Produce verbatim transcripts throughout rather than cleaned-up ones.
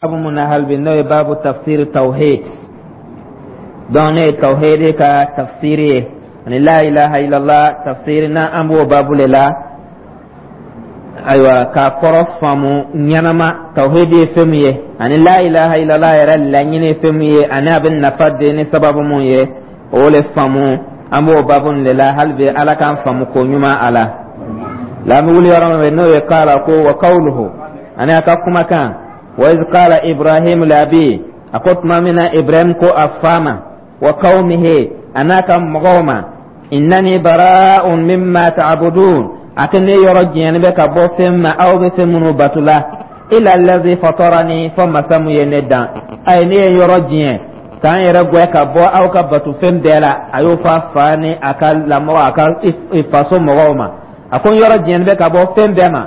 Babu mun na hali bi, n'o ye babu tafsir tawhid. Donc ne ye tawhid ka tafsiri ye ani la ilaha illallah tafsiri na, an b'o babu le la. Ayiwa, k'a kɔrɔ faamu ɲɛnama, tawhid ye fɛn min ye ani la ilaha illallah yɛrɛ laɲini ye fɛn min ye ani a bɛ nafa den ni sababu mun ye, o le faamu, an b'o babu nin de la hali bi. Ala k'an faamu ko ɲuman a la. La an bɛ wuli yɔrɔ min, n'o ye qala ko wa qawluhu, ani a ka kumakan wa iz qala Ibrahim li abi, a ko tuma min na Ibrahim ko a fa ma, wa qawmihi, a n'a ka mɔgɔw ma, innani bara'un mimma ta'budun, a ko ne yɔrɔ jɛni bɛ ka bɔ fɛn ma aw bɛ fɛn minnu bato la, illa allazi fatarani, fɔ masa mun ye ne dan. Ayi, ne ye yɔrɔ diɲɛ k'an yɛrɛ gwɛ ka bɔ aw ka bato fɛn bɛɛ la. A y'o fɔ a fa ni a ka lamɔgɔ, a ka faso mɔgɔw ma. A ko n yɔrɔ diɲɛni bɛ ka bɔ fɛn bɛɛ ma,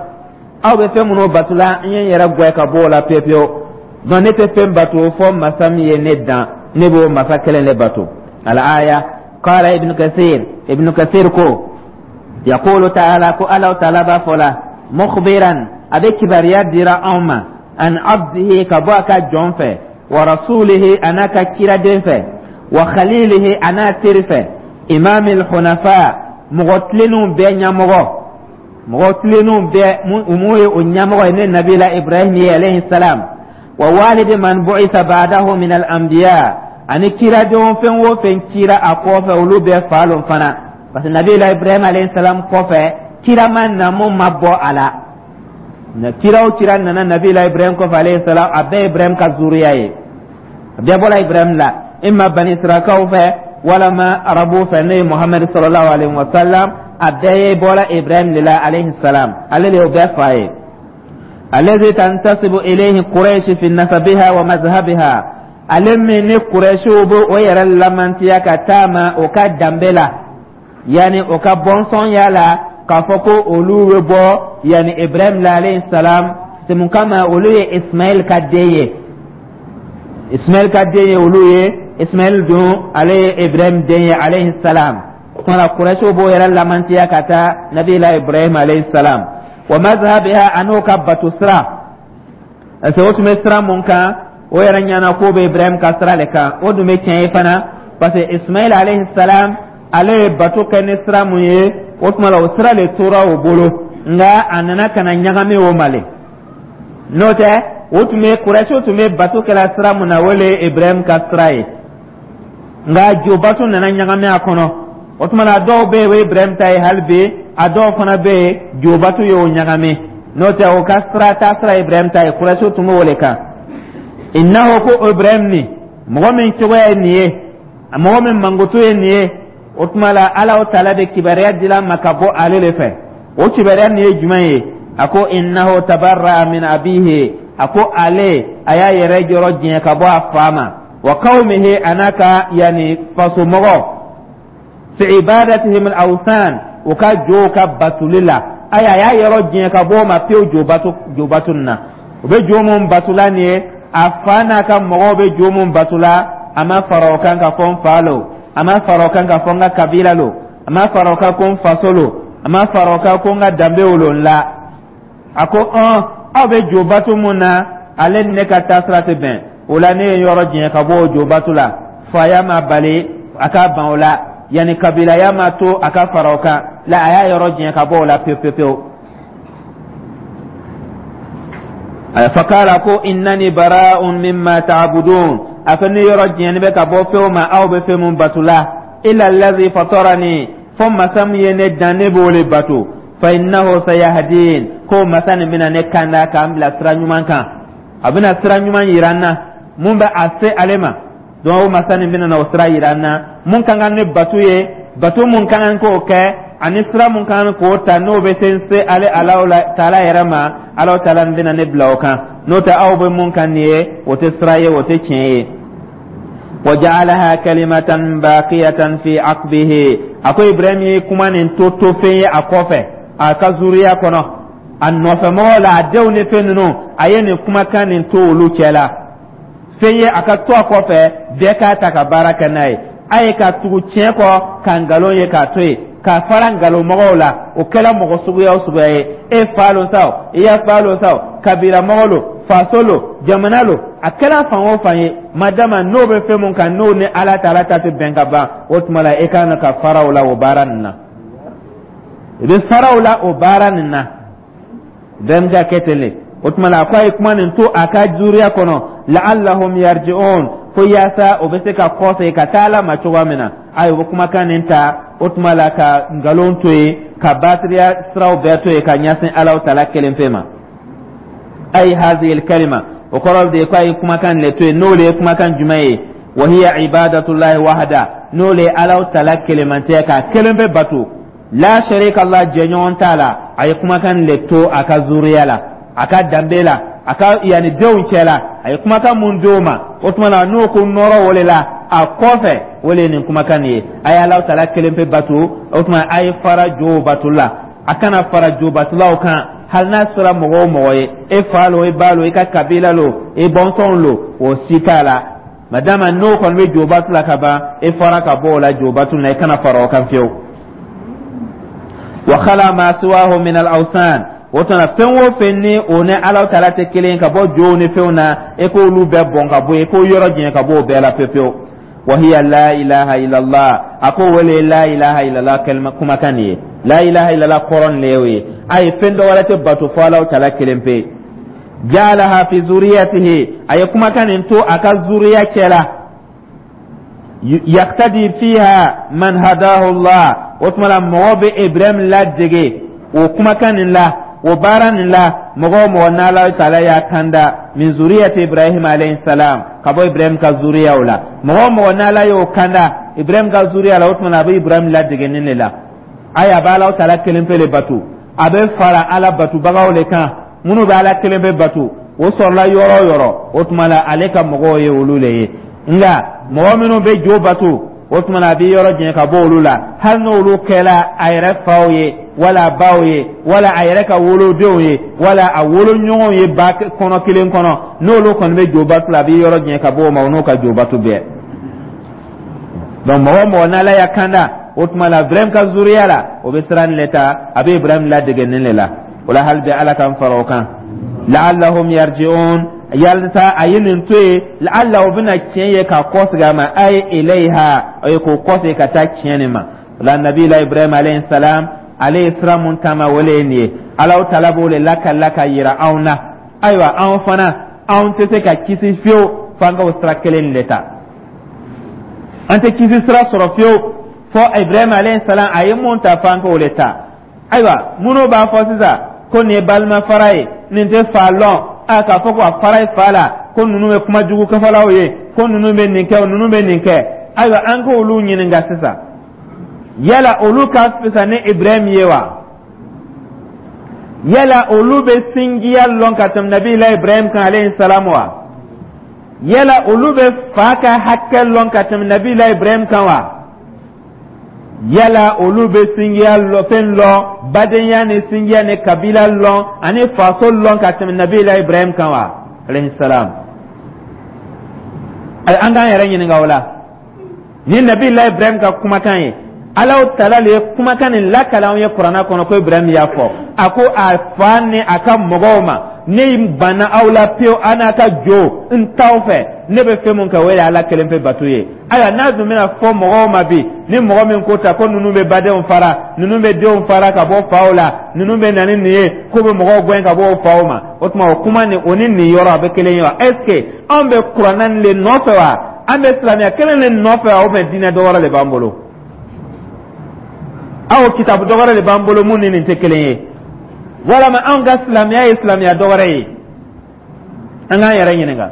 aw bɛ fɛn minnu bato la, n ye n yɛrɛ gwɛ ka bɔ o la pewu pewu. Donc ne tɛ fɛn bato fɔ masa min ye ne dan, ne b'o masa kelen de bato. Al aya. Qala Ibn Kathir, Ibn Kathir ko yaqulu ta'ala, ko Ala ta'ala b'a fɔ la, mukhbiran, a bɛ kibaruya dira anw ma, an abdihi, ka bɔ a ka jɔn fɛ, wa rasulihi, a n'a ka kiraden fɛ, wa khalilihi, a n'a teri fɛ, imamil hunafa, mɔgɔ tilennenw bɛɛ ɲɛmɔgɔ, mɔgɔ tilennenw bɛɛ mun ye o ɲɛmɔgɔ ye, ne nabila Ibrahim ye alayhi salam, wa walidi man bu'itha ba'dahu min al anbiya, ani kiradenw fɛn o fɛn cira a kɔfɛ, olu bɛɛ fa lon fana, parce que nabila Ibrahim alayhi salam kɔfɛ, kira ma na mun ma bɔ a la. Na kira o kira nana nabila Ibrahim kɔfɛ alayhi salam, a bɛɛ Ibrahim ka zuriya ye, a bɛɛ bɔra Ibrahim la, imma bani Israkaw fɛ walama arabu fɛ, n'o ye Muhammad sallallahu alaihi wa sallam, a bɛɛ ye bɔra Ibrahim de la alayhi salam, ale de y'o bɛɛ fa ye. Allazi tantasibu ilayhi Quraish fi nasabiha wa mazhabiha, ale min ni Quraishiw bɛ o yɛrɛ lamantiya ka taa ma o ka danbe la, yanni o ka bɔnsɔnya la, k'a fɔ ko olu bɛ bɔ yanni Ibrahim la alayhi salam. C'est mun kama olu ye Ismaël ka den ye, Ismaël ka den ye olu ye. Ismaël dun, ale ye Ibrahim den ye alayhi salam. Kuma la, Quraishiw b'o yɛrɛ lamantiya ka taa nabila Ibrahim alayhi salam, wa mazhabiha, an'o ka bato sira, parce que o tun bɛ sira mun kan, o yɛrɛ ɲɛna k'o bɛ Ibrahim ka sira de kan. O dun bɛ tiɲɛ ye fana, parce que Ismaël alayhi salam, ale ye bato kɛ ni sira mun ye, o tuma la o sira de tora o bolo, nka a nana ka na ɲagami o ma le. N'o tɛ, o tun bɛ Quraishiw tun bɛ bato kɛla sira mun na, o le ye Ibrahim ka sira ye, nka jobato nana ɲagami a kɔnɔ. O tuma na, dɔw bɛ yen, o ye Ibrahim ta ye hali bi, a dɔw fana bɛ yen, jobato y'o ɲagami. N'o tɛ, o ka sira ta sira Ibrahim ta ye, Quraishiw tun b'o de kan. Innahu, ko Ibrahim ni mɔgɔ min cogoya ye nin ye, mɔgɔ min mankutu ye nin ye, o tuma la Ala taala bɛ kibaruya dila ma ka bɔ ale de fɛ. O kibaruya nin ye jumɛn ye? A ko innahu tabarra min abihi, a ko ale a y'a yɛrɛ yɔrɔ diɲɛ ka bɔ a fa ma, wa qawmihi, a n'a ka yanni fasomɔgɔ, fi ibadatihim al-awthan, u ka jow ka batuli la. Ayi, a y'a yɔrɔ diɲɛ ka bɔ o ma pewu, jo bato, jo bato nin na. U bɛ jo mun batula nin ye, a fa n'a ka mɔgɔw bɛ jo mun batula, a ma fara o kan ka fɔ n fa lo, a ma fara o kan ka fɔ n ka kabila lo, a ma fara o kan ko n faso lo, a ma fara o kan ko n ka danbew lo n la. A ko ɔn, aw bɛ jo bato mun na, ale ni ne ka taasira tɛ bɛn o la, ne ye yɔrɔ diɲɛ ka bɔ o jo bato la. Faya ma bali a ka ban o la, yanni kabilaya ma to a ka fara o kan la, a y'a yɔrɔ diɲɛ ka bɔ o la pewu pewu pewu. Fakala ko innani bara'un mimma ta'budun, a ko ne yɔrɔ diɲɛni bɛ ka bɔ fɛnw ma aw bɛ fɛn mun bato la, illa allazi fatarani, fo masa min ye ne dan, ne b'o le bato, fa innahu sayahdin, ko masa nin bɛna ne kanda k'an bila sira ɲuman kan, a bɛna sira ɲuman yira n na mun bɛ a se ale ma. Donc o masa nin bɛna na o sira yira n na mun ka kan ne bato ye, bato mun ka kan k'o kɛ ani sira mun ka kan k'o ta, n'o bɛ se n se ale Alahu taala yɛrɛ ma. Alahu taala bɛna ne bila o kan. N'o tɛ, aw bɛ mun kan nin ye, o tɛ sira ye, o tɛ tiɲɛ ye. Waja'alaha kalimatan baqiyatan fi aqbihi, a ko Ibrahim ye kuma nin to to fɛn ye a kɔfɛ, a ka zuriya kɔnɔ, a nɔfɛmɔgɔw la, a denw ni fɛn ninnu, a ye nin kumakan nin to olu cɛ la fɛn ye a ka to a kɔfɛ, bɛɛ k'a ta ka baara kɛ n'a ye. A ye ka tugu tiɲɛ kɔ ka nkalon ye k'a to yen, ka fara nkalonmɔgɔw la, o kɛla mɔgɔ suguya o suguya ye, e fa lon sa o, i ya fa lon sa o, Kabila mɔgɔ lo, faso lo, jamana lo, a kɛra fan o fan ye, madama n'o bɛ fɛn mun kan, n'o ni Ala ta, Ala ta tɛ bɛn ka ban, o tuma la e kan ka fara o la o baara nin na. I bɛ fara o la o baara nin na. Bɛɛ bɛ ka kɛ ten de. O tuma la, a ko a ye kuma nin to a ka zuriya kɔnɔ, la'allahum yarji'un, ko yaasa o bɛ se ka kɔsegin ka taa Ala ma cogoya min na. Ayi, o bɛ kumakan nin ta, o tuma la ka nkalon to yen, ka batiriya siraw bɛɛ to yen, ka ɲɛsin Alaw tala kelen pe ma. Ayi, hazihi kalima, o kɔrɔ de ye ko a ye kumakan le to yen. N'o le ye kumakan jumɛn ye? Wa hiya ibadatullahi wahda, n'o le ye Alaw tala kelenmantiya, k'a kelen pe bato, la sharika Allah, jɛɲɔgɔn t'a la. A ye kumakan le to a ka zuriya la, a ka danbe la, a ka yanni denw cɛ la. A ye kumakan mun d'o ma, o tuma la n'o ko nɔrɔ o de la a kɔfɛ, o de ye nin kumakan nin ye: a ye Alaw tala kelen pe bato. O tuma a ye fara jow bato la, a kana fara jo batolaw kan, hali n'a sera mɔgɔ o mɔgɔ ye, e fa lo, e ba lo, i ka kabila lo, e bɔnsɔnw lo, o si t'a la. Madama n'o kɔni bɛ jo bato la ka ban, e fara ka bɔ o la jo bato la, i kana fara o kan fiyewu. Wa khala ma siwahu min al awsan, o tuma fɛn o fɛn ni o ni Ala taala tɛ kelen, ka bɔ jow ni fɛnw na, e k'olu bɛɛ bɔn ka bɔ yen, e k'o yɔrɔ janya ka bɔ o bɛɛ la pewu pewu. Wa hiya la ilaha illallah, a ko wele la ilaha illallah kalima kumakan nin ye, la ilaha illallah kɔrɔ nin ye o ye. A ye fɛn dɔ wɛrɛ tɛ bato fo Ala taala kelen pe. Ja'alaha fi zuriyatihi, a ye kumakan nin to a ka zuriya cɛ la, yaktadi fiha man hadahu Allah. O tuma la mɔgɔ bɛ Ibrahim ladege o kumakan nin la, o baara nin la, mɔgɔ o mɔgɔ n'Ala taala y'a kanda, min zuriyati Ibrahim alayhi salam, ka bɔ Ibrahim ka zuriyaw la, mɔgɔ o mɔgɔ n'Ala y'o kanda Ibrahim ka zuriya la, o tuma la a bɛ Ibrahim ladege nin de la. Ayi, a bɛ Ala taala kelen pe le bato, a bɛ fara Ala batobagaw le kan minnu bɛ Ala kelen pe bato. O sɔrɔla yɔrɔ o yɔrɔ, o tuma la ale ka mɔgɔw ye olu le ye. Nka mɔgɔ minnu bɛ jo bato, o tuma na a bɛ yɔrɔ janya ka bɔ olu la, hali n'olu kɛla a yɛrɛ faw ye, wala baw ye, wala a yɛrɛ ka wolodenw ye, wala a woloɲɔgɔnw ye ba kɔnɔ kelen kɔnɔ. N'olu kɔni bɛ jo bato la, a bɛ yɔrɔ janya ka bɔ o ma, o n'o ka jo bato bɛɛ. Donc mɔgɔ o mɔgɔ n'Ala y'a kanda, o tuma la Ibrahim ka zuriya la, o bɛ sira nin le ta, a bɛ Ibrahim ladege nin le la. O la hali bi Ala k'an fara o kan, la'allahum yarji'un, yalisa a ye nin to yen, la'alla o bɛna tiɲɛ ye k'a kɔsegin a ma, ay ilayha, o ye k'o kɔsegin ka taa tiɲɛ nin ma. O la nabila Ibrahim alayhi salam, ale ye sira mun taama, o le ye nin ye. Alaw tala b'o le lakalila ka yira anw na. Ayiwa, anw fana, anw tɛ se ka kisi fiyewu f'an ka o sira kelen de ta. An tɛ kisi sira sɔrɔ fiyewu fɔ Ibrahim alayhi salam a ye mun ta, f'an k'o le ta. Ayiwa, minnu b'a fɔ sisan ko nin ye balima fara ye, nin tɛ fa lɔn, a k'a fɔ ko a fara ye fa la, ko ninnu bɛ kuma jugu kafalaw ye, ko ninnu bɛ nin kɛ, ninnu bɛ nin kɛ, ayiwa, an k'olu ɲininka sisan: yala olu ka fisa ni Ibrahim ye wa? Yala olu bɛ sinjiya lɔn ka tɛmɛ nabila Ibrahim kan alayhi salam wa? Yala olu bɛ fa ka hakɛ lɔn ka tɛmɛ nabila Ibrahim kan wa? Yala olu bɛ sinjiya lɔ, fɛn lɔn, badenya ni sinjiya ni kabila lɔn ani faso lɔn ka tɛmɛ nabila Ibrahim kan wa alayhi salam? An k'an yɛrɛ ɲininka o la. Ni nabila Ibrahim ka kumakan ye, Alaw tala le ye kumakan nin lakale anw ye Kuranna kɔnɔ, ko Ibrahim y'a fɔ, a ko a fa ni a ka mɔgɔw ma: ne banna aw la pewu, a n'a ka jo, n t'aw fɛ, ne bɛ fɛn mun kɛ, o ye Ala kelen pe bato ye. Ayiwa, n'a dun bɛna fɔ mɔgɔw ma bi, ni mɔgɔ min ko ta ko ninnu bɛ badenw fara, ninnu bɛ denw fara ka bɔ faw la, ninnu bɛ na ni nin ye, k'u bɛ mɔgɔw gɛn ka bɔ o faw ma, o tuma o kuma nin, o ni nin yɔrɔ a bɛ kelen ye wa? Est ce que anw bɛ Kuranna nin de nɔfɛ wa? An bɛ silamɛya kelen de nɔfɛ wa? Ou bien diinɛ dɔ wɛrɛ de b'an bolo? Aw, kitabu dɔ wɛrɛ de b'an bolo mun ni nin tɛ kelen ye? Walama anw ka silamɛya ye silamɛya dɔ wɛrɛ ye? An k'an yɛrɛ ɲininka.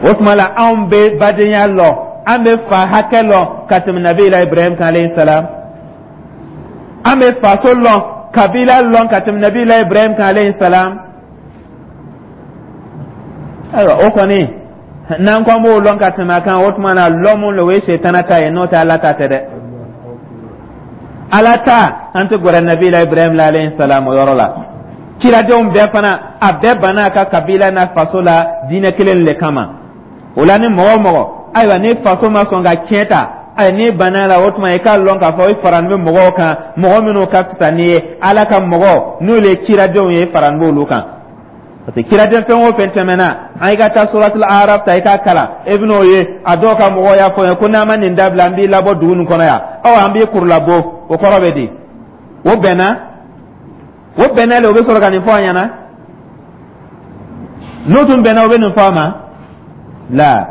O tuma la anw bɛ badenya lɔ, an bɛ fa hakɛ lɔn ka tɛmɛ nabila Ibrahim kan alayhi salam? An bɛ faso lɔn, kabila lɔn ka tɛmɛ nabila Ibrahim kan alayhi salam? Ayiwa, o kɔni, n'an ko an b'o lɔn ka tɛmɛ a kan, o tuma na lɔn mun lo, o ye setana ta ye, n'o tɛ Ala ta tɛ dɛ. Ala ta, an tɛ gɛrɛ nabila Ibrahim la alayhi salam o yɔrɔ la. Kiradenw bɛɛ fana, a bɛɛ banna a ka kabila n'a faso la diinɛ kelen le kama. O la ni mɔgɔ o mɔgɔ, ayiwa, ni faso ma sɔn ka tiɲɛ ta Ayi, n'i banna la, o tuma i k'a lɔn k'a fɔ i farani bɛ mɔgɔw kan, mɔgɔ minnu ka fisa n'i ye. Ala ka mɔgɔ n'olu ye ciradenw ye, i farani b'olu kan, parce que ciraden fɛn o fɛn tɛmɛna an, i ka taa Suratul Araf ta, i k'a kalan, e bɛn'o ye. A dɔw ka mɔgɔw y'a fɔ n ye ko n'an ma nin dabila, an b'i labɔ dugu nin kɔnɔ yan, ɔ an b'i kurulabɔ. O kɔrɔ bɛ di? O bɛnna, o bɛnna le, o bɛ sɔrɔ ka nin fɔ an ɲɛna. N'o tun bɛnna, o bɛ nin fɔ a ma la.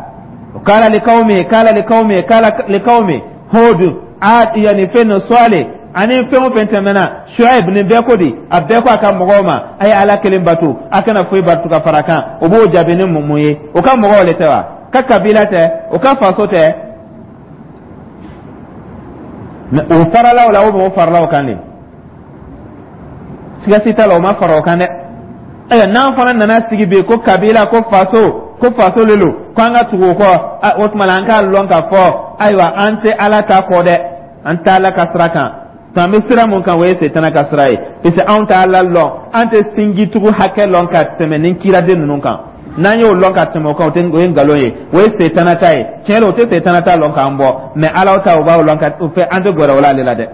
Kala likawmi, kala likawmi, kala likawmi Hud, Ad, yani fɛn no Sɔle ani fɛn o fɛn tɛmɛna, Shuaib, nin bɛɛ ko di? A bɛɛ ko a ka mɔgɔw ma: a ye Ala kelen bato, a kana foyi bato ka fara kan. O b'o jaabi ni mun ye? O ka mɔgɔw le tɛ wa? Ka kabila tɛ? O ka faso tɛ? Mais o farala o la, o mɔgɔ farala o kan de, siga si t'a la, o ma fara o kan dɛ. Ayiwa, n'an fana nana sigi bi ko kabila, ko faso, ko faso le lo, ko an ka tugu o kɔ, o tuma la an k'a lɔn k'a fɔ ayiwa, an tɛ Ala ta kɔ dɛ, an tɛ Ala ka sira kan. An bɛ sira mun kan, o ye Setana ka sira ye, parce que anw tɛ Ala lɔn, an tɛ sinjitugu hakɛ lɔn ka tɛmɛ ni kiraden ninnu kan. N'an y'o lɔn ka tɛmɛ o kan, o tɛ, o ye nkalon ye, o ye Setana ta ye. Tiɲɛ la, o tɛ Setana ta lɔn k'an bɔ, mais Ala ta, o b'o lɔn ka o fɛ, an tɛ gɛrɛ o la ale la dɛ.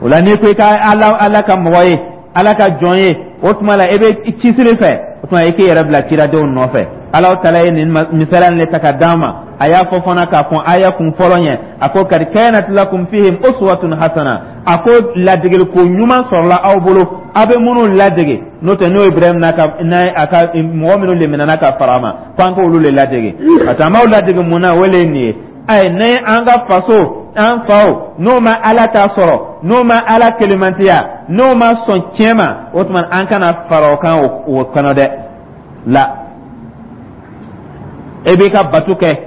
O la, n'i ko i ka Ala, Ala ka mɔgɔ ye, Ala ka jɔn ye, o tuma la e bɛ cisiri fɛ, o tuma i k'i yɛrɛ bila kiradenw nɔfɛ. Ala tala ye nin misaliya nin ta ka d'an ma. A y'a fɔ fana k'a fɔ aya kun fɔlɔ ɲɛ, a ko: kad kanat lakum fihim uswatun hasana. A ko ladegeliko ɲuman sɔrɔla aw bolo, aw bɛ minnu ladege, n'o tɛ n'o ye Ibrahim n'a ka n'a a ka mɔgɔ minnu leminana ka fara a ma, ko an k'olu le ladege. Ka taa an b'aw ladege mun na? O le ye nin ye. Ayi, ni an ka faso, an faw, n'o ma Ala ta sɔrɔ, n'o ma Ala kelemantiya, n'o ma sɔn tiɲɛ ma, o tuma an kana fara o kan o kɔnɔ dɛ. La e b'i ka bato kɛ,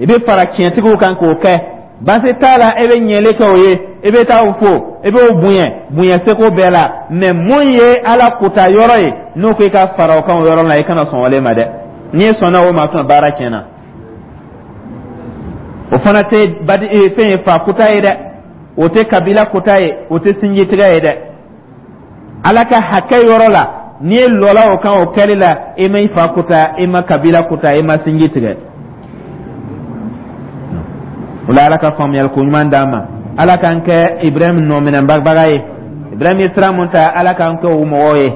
i bɛ fara tiɲɛtigiw kan k'o kɛ, baasi t'a la. E bɛ ɲɛli kɛ o ye, i bɛ taa o fo, i b'o bonya bonya seko bɛɛ la. Mais mun ye Ala kota yɔrɔ ye, n'o ko i ka fara o kan o yɔrɔ la, i kana sɔn o ma dɛ. N'i sɔnna o ma, tuma baara tiɲɛna. O fana tɛ badi fɛn ye, fa kota ye dɛ, o tɛ kabila kota ye, o tɛ sinjitigɛ ye dɛ. Ala ka hakɛ yɔrɔ la, n'i ye lɔla o kan o kɛli la, i ma i fa kota, i ma kabila kota, i ma sinji tigɛ o la. Ala ka faamuyali ko ɲuman d'an ma. Ala k'an kɛ Ibrahim nɔminɛbaga ye. Ibrahim ye sira mun ta, Ala k'an kɛ o mɔgɔw ye.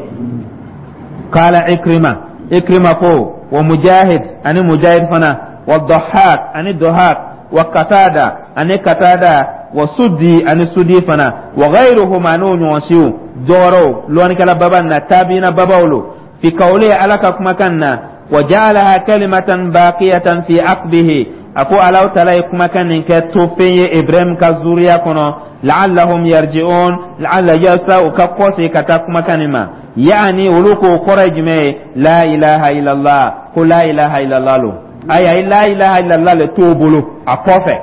Kala Ikrima, Ikrima ko, wa Mujahid ani Mujahid fana, wa Dahak ani Dahak, wa Katada ani Katada, wa Sudi ani Sudi fana, wa ghayruhum, ani ɲɔgɔn siw dɔwɛrɛw, lɔnnikɛla baba na, tabiina babaw lo. Fi kawli, Ala ka kumakan na, wa ja'alaha kalimatan baqiyatan fi aqbihi, a ko Alahu taala ye kumakan nin kɛ to fɛn ye Ibrahim ka zuriya kɔnɔ, la'allahum yarji'un, la'alla, yasa u ka kɔse ka taa kumakan nin ma. Yaani olu ko kɔrɔ ye jumɛn ye? La ilaha illallah, ko la ilaha illallah lo. Ayi, a ye la ilaha illallah le t'o bolo a kɔfɛ.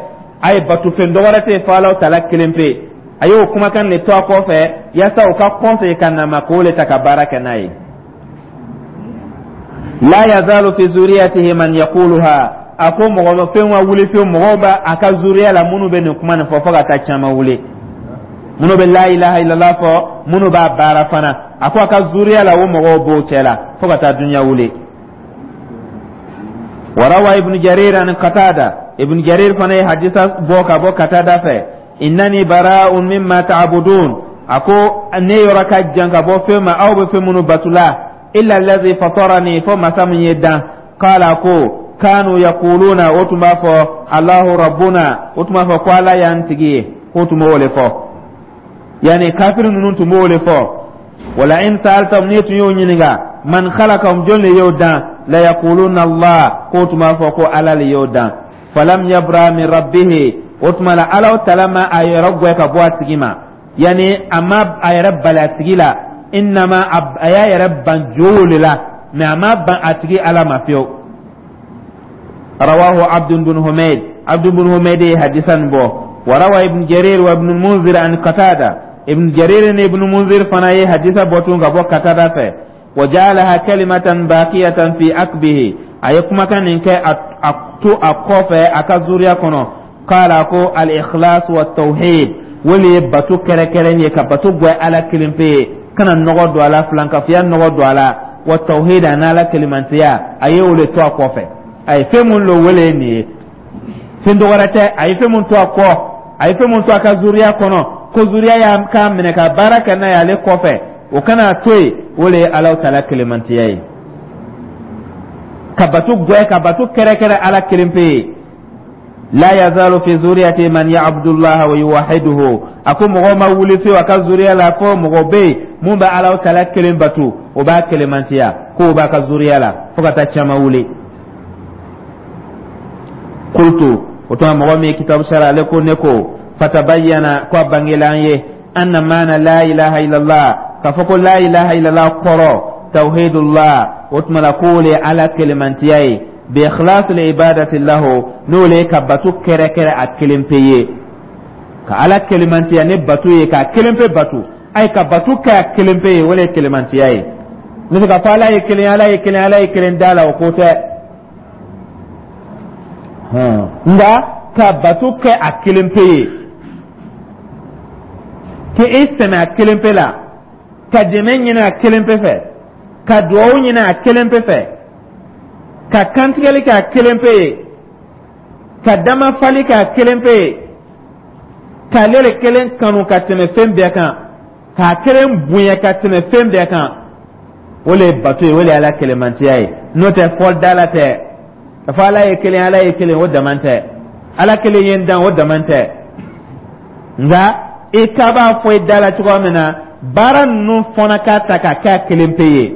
A ye batofɛn dɔ wɛrɛ tɛ yen fo Alahu taala kelen pe. A y'o kumakan de to a kɔfɛ yaasa u ka kɔse ka na ma, k'o le ta ka baara kɛ n'a ye. La yazalu fi zuriyatihi man yaquluha, a ko mɔgɔ fɛn ka wuli fiyewu, mɔgɔw b'a a ka zuriya la minnu bɛ nin kuma nin fɔ, fo ka taa caman wuli, minnu bɛ la ilaha illallah fɔ, minnu b'a baara fana. A ko a ka zuriya la, o mɔgɔw b'o cɛ la fo ka taa dunuya wuli. Warawa Ibn Jarir ani Qatada, Ibn Jarir fana ye hadisa bɔ ka bɔ Qatada fɛ: innani bara'un mimma ta'budun, a ko ne yɔrɔ ka jan ka bɔ fɛn ma aw bɛ fɛn minnu batula, illa allazi fatarani, fo masa min ye dan. Qala, ko kanu yaquluna, o tun b'a fɔ Allahu rabbuna, o tun b'a fɔ ko Ala y'an tigi ye, k'o tun b'o le fɔ. Yani kafiri ninnu tun b'o le fɔ. Wala in sa'altahum, n'i tun y'o ɲininka, man khalaqahum, jɔn le y'o dan, la yaquluna Allah, k'o tun b'a fɔ ko Ala le y'o dan. Falam yabra min rabbihi, o tuma la Ala tala ma a yɛrɛ gwɛ ka bɔ a tigi ma, yani a ma a yɛrɛ bali a tigi la, innama a y'a yɛrɛ ban jowo le la, mais a ma ban a tigi Ala ma fiyewu. Rawahu Abd bin Humayd, Abd bin Humayd ye hadisan bɔ. Wa rawa Ibn Jarir wa Ibn Munzir an Qatada, Ibn Jarir ni Ibn Munzir fana ye hadisa bɔ tun ka bɔ Qatada fɛ: wa ja'alaha kalimatan baqiyatan fi akbihi, a ye kumakan nin kɛ a to a kɔfɛ a ka zuriya kɔnɔ. Kala ko al-ikhlas wa tawhid, wale ye bato kɛrɛkɛrɛn ye, ka bato gwɛ Ala kelen pe ye, kana nɔgɔ don a la, filankafiya nɔgɔ don a la, wa tawhid, a n'Ala kelimantiya, a ye o le to a kɔfɛ. A ye fɛn mun lo, wele ye nin ye. Fɛn dɔ wɛrɛ tɛ, a ye fɛn mun to a kɔ, a ye fɛn mun to a ka zuriya kɔnɔ, ko zuriya y'a k'a minɛ ka baara kɛ n'a ye ale kɔfɛ, o kana to yen, o le ye Alahu Taala kelemantiya ye, ka bato gwɛ, ka bato kɛrɛkɛrɛ Ala kelen pe ye. La yazalu fi zuriyati man ya'budu wa yuwahhiduhu. A ko mɔgɔ ma wuli fewu a ka zuriya la fo mɔgɔ bɛ yen mun bɛ Alahu Taala kelen bato, o b'a kelemantiya, k'o b'a ka zuriya la fo ka taa caman wuli. Qultu, o tuma mɔgɔ min ye kitabu sara, ale ko ne ko fatabayyana, ko a bangela an ye, anna maana la ilaha illallah, k'a fɔ ko la ilaha illallah kɔrɔ tawhidullah, o tuma la k'o le ye Ala kelemantiya ye, bi ikhlasil ibadati lahu, n'o le ye ka bato kɛrɛkɛrɛ a kelen pe ye, ka Ala kelemantiya ni bato ye, k'a kelen pe bato, ayi, ka bato kɛ a kelen pe ye, o le ye kelemantiya ye. N'o tɛ k'a fɔ Ala ye kelen, Ala ye kelen, Ala ye kelen da la, o ko tɛ. Nka ka bato kɛ a kelen pe ye, k'e sɛmɛ a kelen pe la, ka dɛmɛ ɲini a kelen pe fɛ, ka duwawu ɲini a kelen pe fɛ, ka kantigɛli kɛ a kelen pe ye, ka damafali kɛ a kelen pe ye, k'ale le kelen kanu ka tɛmɛ fɛn bɛɛ kan, k'a kelen bonya ka tɛmɛ fɛn bɛɛ kan, o le ye bato ye, o le ye Ala kelemantiya ye. N'o tɛ, fɔli da la tɛ ka fɔ Ala ye kelen, Ala ye kelen, o dama tɛ. Ala kelen ye n dan, o dama tɛ. Nka i ka b'a fɔ i da la cogoya min na, baara ninnu fana k'a ta k'a kɛ a kelen pe ye,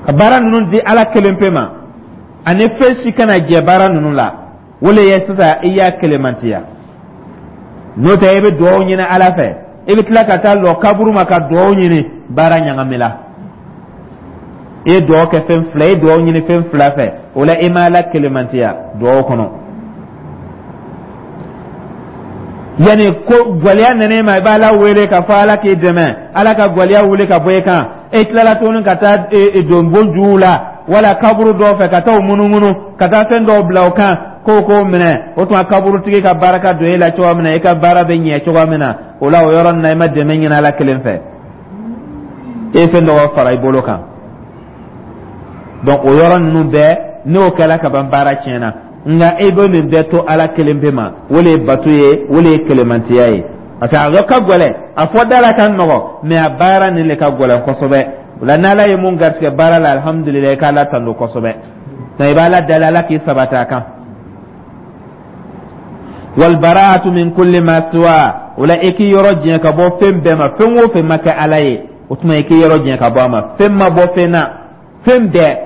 ka baara ninnu di Ala kelen pe ma, ani fɛn si kana jɛ baara ninnu la, o le ye sisan i y'a kelemantiya. N'o tɛ, i bɛ dugawu ɲini Ala fɛ, i bɛ tila ka taa lɔ kaburu ma ka dugawu ɲini, baara ɲagamina. I ye dugawu kɛ fɛn fila, i ye dugawu ɲini fɛn fila fɛ, o la i ma Ala kelemantiya dugawu kɔnɔ. Yanni ko gwɛlɛya nana e ma, i b'Ala wele k'a fɔ Ala k'i dɛmɛ, Ala ka gwɛlɛya wuli ka bɔ i kan. E tilala tuguni ka taa don bon juw la wala kaburu dɔw fɛ, ka taa o munumunu, ka taa fɛn dɔw bila o kan k'o k'o minɛ. O tuma kaburutigi ka barika don e la cogoya min na, i ka baara bɛ ɲɛ cogoya min na, o la o yɔrɔ nin na, i ma dɛmɛ ɲini Ala kelen fɛ, e ye fɛn dɔ fara i bolo kan. Donc o yɔrɔ ninnu bɛɛ, n'o kɛra ka ban, baara tiɲɛna. Nka e bɛ nin bɛɛ to Ala kelen pe ma, o le ye bato ye, o le ye kelemantiya ye. Parce que a ka gɛlɛn, a fɔ da la ka nɔgɔ, mais a baara nin le ka gɛlɛn kosɛbɛ. O la, n'Ala ye mun garisɛgɛ baara la, alihamudulilayi, i k'Ala tando kosɛbɛ. Nka i b'Ala dali, Ala k'i sabati a kan. Walbaraatu min kulli ma siwa, o la i k'i yɔrɔ jɛn ka bɔ fɛn bɛɛ ma, fɛn o fɛn ma kɛ Ala ye, o tuma i k'i yɔrɔ jɛn ka bɔ a ma. Fɛn ma bɔ fɛn na, fɛn bɛɛ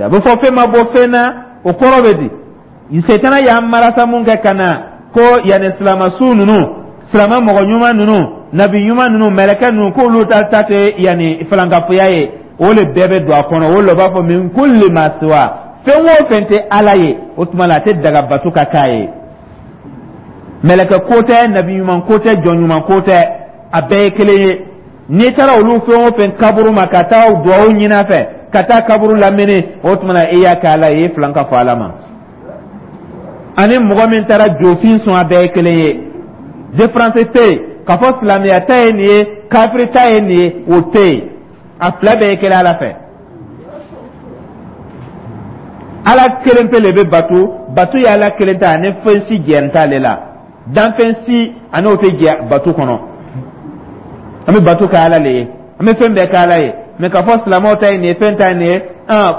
a bɛ fɔ fɛn ma bɔ fɛn na, o kɔrɔ bɛ di? Setana y'an marasa mun kɛ ka na ko yanni silamasu ninnu, silama mɔgɔ ɲuman ninnu, nabi ɲuman ninnu, mɛlɛkɛ ninnu, k'olu ta ta tɛ yanni filankafoya ye, o le bɛɛ bɛ don a kɔnɔ. O le b'a fɔ min kulli ma siwa, fɛn o fɛn tɛ Ala ye, o tuma la a tɛ daga bato ka k'a ye. Mɛlɛkɛ ko tɛ, nabi ɲuman ko tɛ, jɔn ɲuman ko tɛ, a bɛɛ ye kelen ye. N'i taara olu fɛn o fɛn kaburu ma ka taa duwawu ɲini a fɛ, ka taa kaburu lamini, o tuma na i y'a kɛ Ala ye, i ye filan ka fɔ Ala ma. Ani mɔgɔ min taara jofin sɔn, a bɛɛ ye kelen ye. Différence tɛ yen k'a fɔ silamɛya ta ye nin ye, kafiri ta ye nin ye, o tɛ yen. A fila bɛɛ ye kelen Ala fɛ. Ala kelen pe le bɛ bato, bato ye Ala kelen ta, ani fɛn si jɛn t'ale la, danfɛn si ani o tɛ jɛ bato kɔnɔ. An bɛ bato kɛ Ala le ye, an bɛ fɛn bɛɛ kɛ Ala ye. Mɛ k'a fɔ silamɛw ta ye nin ye, fɛn ta ye nin ye,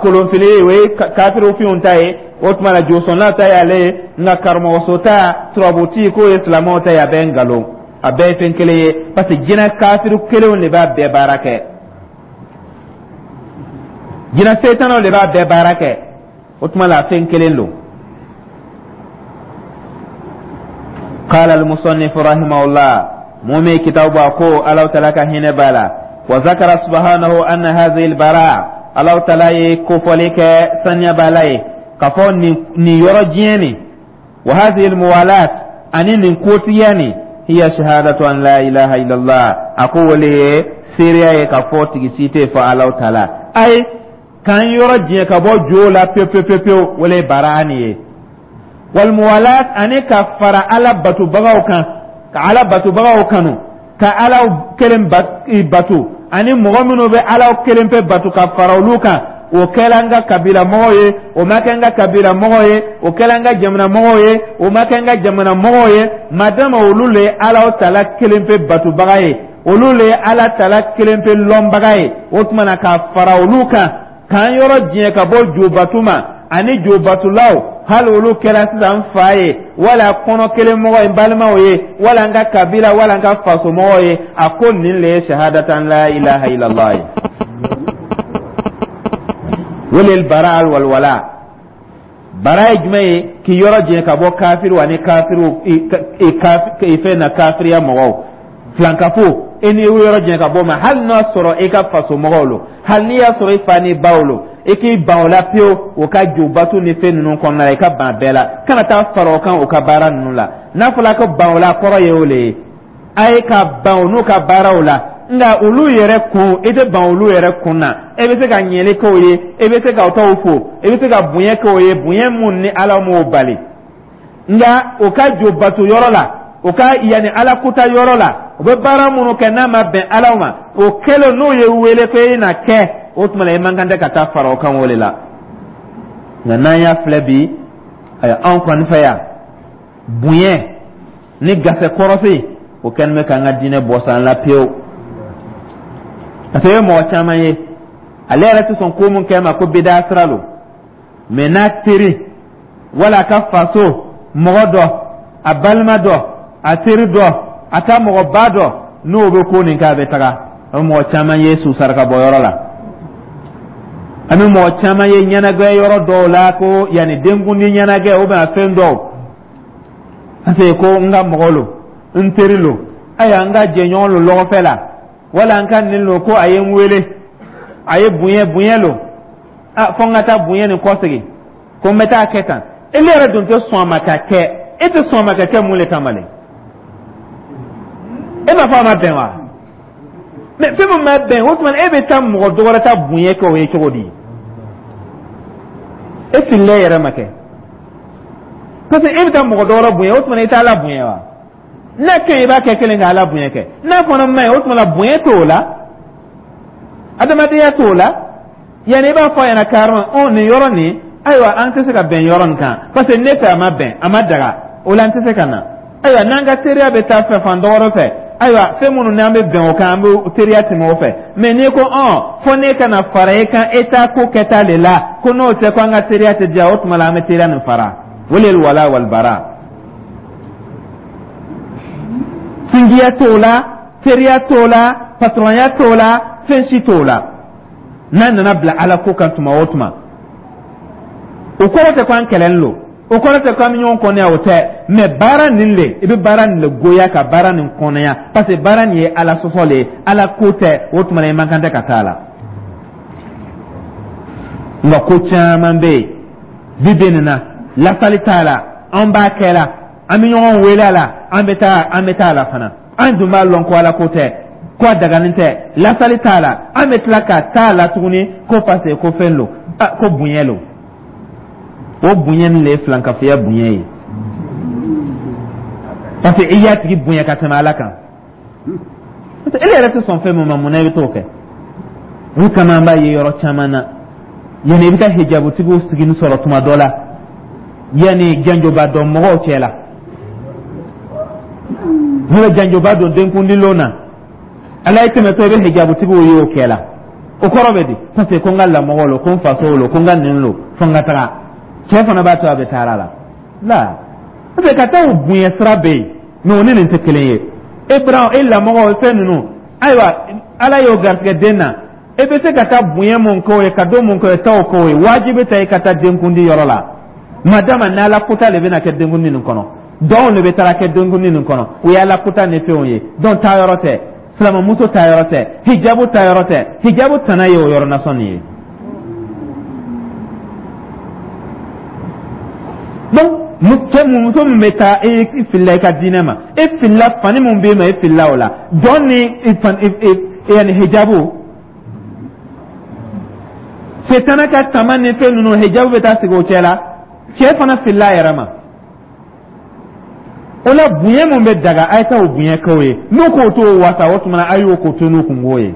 kolonfili o ye kafiriw finw ta ye, o tuma la josɔnnaw ta ye ale ye, nka karamɔgɔso ta, turabuti, k'o ye silamɛw ta ye, a bɛɛ ye nkalon, a bɛɛ ye fɛn kelen ye, parce que jinɛ kafiri kelenw de b'a bɛɛ baara kɛ, jinɛ setanaw de b'a bɛɛ baara kɛ, o tuma la fɛn kelen don. قال المصنف رحمه الله، مومي كتاب أكو الله تعالى كهنا بالا، وذكر سبحانه أن هذه البراء، الله تعالى كفلك سنيا بالاي كفو نيورجيني، وهذه الموالاة أن نكوتياني هي شهادة أن لا إله إلا الله. أقول لي سيريا كفو تجسيتي فالله تعالى أي كان يرجي كبو جولا بيو بيو بيو بيو ولا براني. والموالاة أني كفر على باتو بغاو كان كعلى باتو بغاو كانوا كعلى كلم باتو أني مغمنو بعلى كلم في باتو كفر لوكا. O kɛla n ka kabila mɔgɔw ye, o ma kɛ n ka kabila mɔgɔw ye, o kɛla n ka jamana mɔgɔw ye, o ma kɛ n ka jamana mɔgɔw ye, madama olu le ye Ala tala kelen pe batubaga ye, olu le ye Ala tala kelen pe lɔnbaga ye. O tuma na, k'a fara olu kan, k'an yɔrɔ diɲɛ ka bɔ jobatu ma ani jobatulaw, hali olu kɛra sisan fa ye, wala kɔnɔ kelen mɔgɔ ye, balimaw ye, wala n ka kabila, wala n ka faso mɔgɔw ye. A ko nin le ye shahadatan la ilaha illallah ye, wale bara walwala. Bara ye jumɛn ye? K'i yɔrɔ jɛn ka bɔ kafiriw ani kafiriw fɛn na, kafiriya mɔgɔw, filankafo, e n'i yɔrɔ jɛn ka bɔ ma, hali n'a sɔrɔ e ka faso mɔgɔw lo, hali n'i y'a sɔrɔ i fa n'i baw lo, i k'i ban o la pewu. O ka jobatu ni fɛn ninnu kɔnɔna la, i ka ban bɛɛ la, kana taa fara o kan o ka baara ninnu la. N'a fɔra ko ban o la, kɔrɔ ye o le ye, a ye ka ban o n'u ka baaraw la. Nka olu yɛrɛ kun, i tɛ ban olu yɛrɛ kun na. E bɛ se ka ɲɛli k'o ye, e bɛ se ka t'aw fo, e bɛ se ka bonya k'o ye, bonya mun ni Ala m'o bali. Nka o ka jo bato yɔrɔ la, o ka yanni Ala kuta yɔrɔ la, u bɛ baara minnu kɛ n'a ma bɛn Ala ma, o kɛlen n'o ye wele ko e na kɛ, o tuma na i man kan tɛ ka taa fara o kan o de la. Nka n'an y'a filɛ bi, ayiwa, anw kɔni fɛ yan, bonya ni gasɛ kɔrɔsi, o kɛlen bɛ k'an ka diinɛ bɔ san la pewu, parce que i ye mɔgɔ caman ye, ale yɛrɛ tɛ sɔn ko mun kɛ ma ko bida sira lo, mɛ n'a teri wala a ka faso mɔgɔ dɔ, a balima dɔ, a teri dɔ, a ka mɔgɔba dɔ, n'o bɛ ko nin kɛ, a bɛ taga. A bɛ mɔgɔ caman ye su saraka bɔ yɔrɔ la, an bɛ mɔgɔ caman ye ɲɛnajɛ yɔrɔ dɔw la, ko yanni denkundi ɲɛnajɛ ou bien fɛn dɔw, parce que ko n ka mɔgɔ lo, n teri lo, ayiwa, n ka jɛɲɔgɔn lo lɔgɔfɛ la, wala n ka nin lo, ko a ye n wele, a ye bonya bonya lo, a fɔ n ka taa bonya nin kɔsegin, ko n bɛ taa kɛ tan. E yɛrɛ dun tɛ sɔn a ma ka kɛ, e tɛ sɔn a ma ka kɛ mun le kama le? E m'a fɔ a ma bɛn wa? Mɛ fɛn min ma bɛn, o tuma e bɛ taa mɔgɔ dɔ wɛrɛ ta bonya kɛ o ye cogo di? E filila e yɛrɛ ma kɛ, parce que e bɛ taa mɔgɔ dɔ wɛrɛ bonya, o tuma i t'a la bonya wa? N'a kɛ, i b'a kɛ kelen ka Ala bonya kɛ, n'a fana ma ɲi, o tuma la bonya t'o la, adamadenya t'o la. Yanni i b'a fɔ a ɲɛna carrément, ɔ nin yɔrɔ nin, ayiwa, an tɛ se ka bɛn yɔrɔ nin kan, parce que ne fɛ a ma bɛn, a ma daga, o la an tɛ se ka na. Ayiwa, n'an ka teriya bɛ taa fɛ fan dɔ wɛrɛ fɛ, ayiwa, fɛn minnu n'an bɛ bɛn o kan, an bɛ teriya tɛmɛ o fɛ. Mɛ n'i ko ɔn fɔ ne kana fara e kan, e t'a ko kɛta de la, ko n'o tɛ ko an ka teriya tɛ diya, o tuma la an bɛ teriya nin fara. O de ye wala walibara. Sinjiya t'o la, teriya t'o la, patɔrɔnya t'o la, fɛn si t'o la. N'a nana bila Ala ko kan tuma o tuma, o kɔrɔ tɛ ko an kɛlɛlen don, o kɔrɔ tɛ ko an bɛ ɲɔgɔn kɔnɔya, o tɛ. Mɛ baara nin le, i bɛ baara nin le goya ka baara nin kɔnɔya, parce que baara nin ye Ala sɔsɔ le ye, Ala ko tɛ, o tuma na i man kan tɛ ka taa la. Nka ko caman bɛ yen bi bi nin na, lasali t'a la, an b'a kɛ la, an bɛ ɲɔgɔn wele a la, an bɛ taa, an bɛ taa a la fana. An dun b'a lɔn ko Ala ko tɛ, ko a daganen tɛ, lasali t'a la, an bɛ tila ka taa a la tuguni ko parce que ko fɛn lo, ko bonya lo. O bonya nin le ye filankafoya bonya ye, parce que i y'a tigi bonya ka tɛmɛ Ala kan, parce que e yɛrɛ tɛ sɔn fɛn min ma, mun na i bɛ t'o kɛ? O kama an b'a ye yɔrɔ caman na, yanni i bɛ taa hijabutigiw sigi sɔrɔ tuma dɔ la, yanni janjoba dɔn mɔgɔw cɛ la, n'u bɛ janjoba don denkundilon na, Ala ye tɛmɛtɔ, i bɛ hijabutigiw ye o kɛ la. O kɔrɔ bɛ di? Parce que ko n ka lamɔgɔ lo, ko n faso lo, ko n ka nin lo, fo n ka taga. Cɛ fana b'a to a bɛ taa la la, parce que ka taa o bonya sira bɛ yen, mɛ o ni nin tɛ kelen ye. E bara e lamɔgɔ fɛn ninnu, ayiwa, Ala y'o garisɛgɛ den na, e bɛ se ka taa bonya mun k'o ye, ka don mun k'o ye, taa o k'o ye. Wajibi tɛ i ka taa denkundi yɔrɔ la, madama n'Ala kota de bɛna kɛ denkundi nin kɔnɔ, dɔw de bɛ taa kɛ denkundi nin kɔnɔ, o ye Ala kota ni fɛnw ye. Donc taa yɔrɔ tɛ, silamɛmuso taa yɔrɔ tɛ, hijabu taa yɔrɔ tɛ, hijabu tana ye o yɔrɔ nasɔn nin ye. Donc cɛ, muso min bɛ taa, e filila i ka diinɛ ma, e filila fani min b'e ma, e filila o la, dɔn ni yanni hijabu setana ka tama ni fɛn ninnu, hijabu bɛ taa sigi o cɛ la, cɛ fana filila a yɛrɛ ma. O la bonya mun bɛ daga, a ye taa o bonya k'o ye. N'o k'o t'o wasa, o tuma na a y'o ko to n'o kungo ye.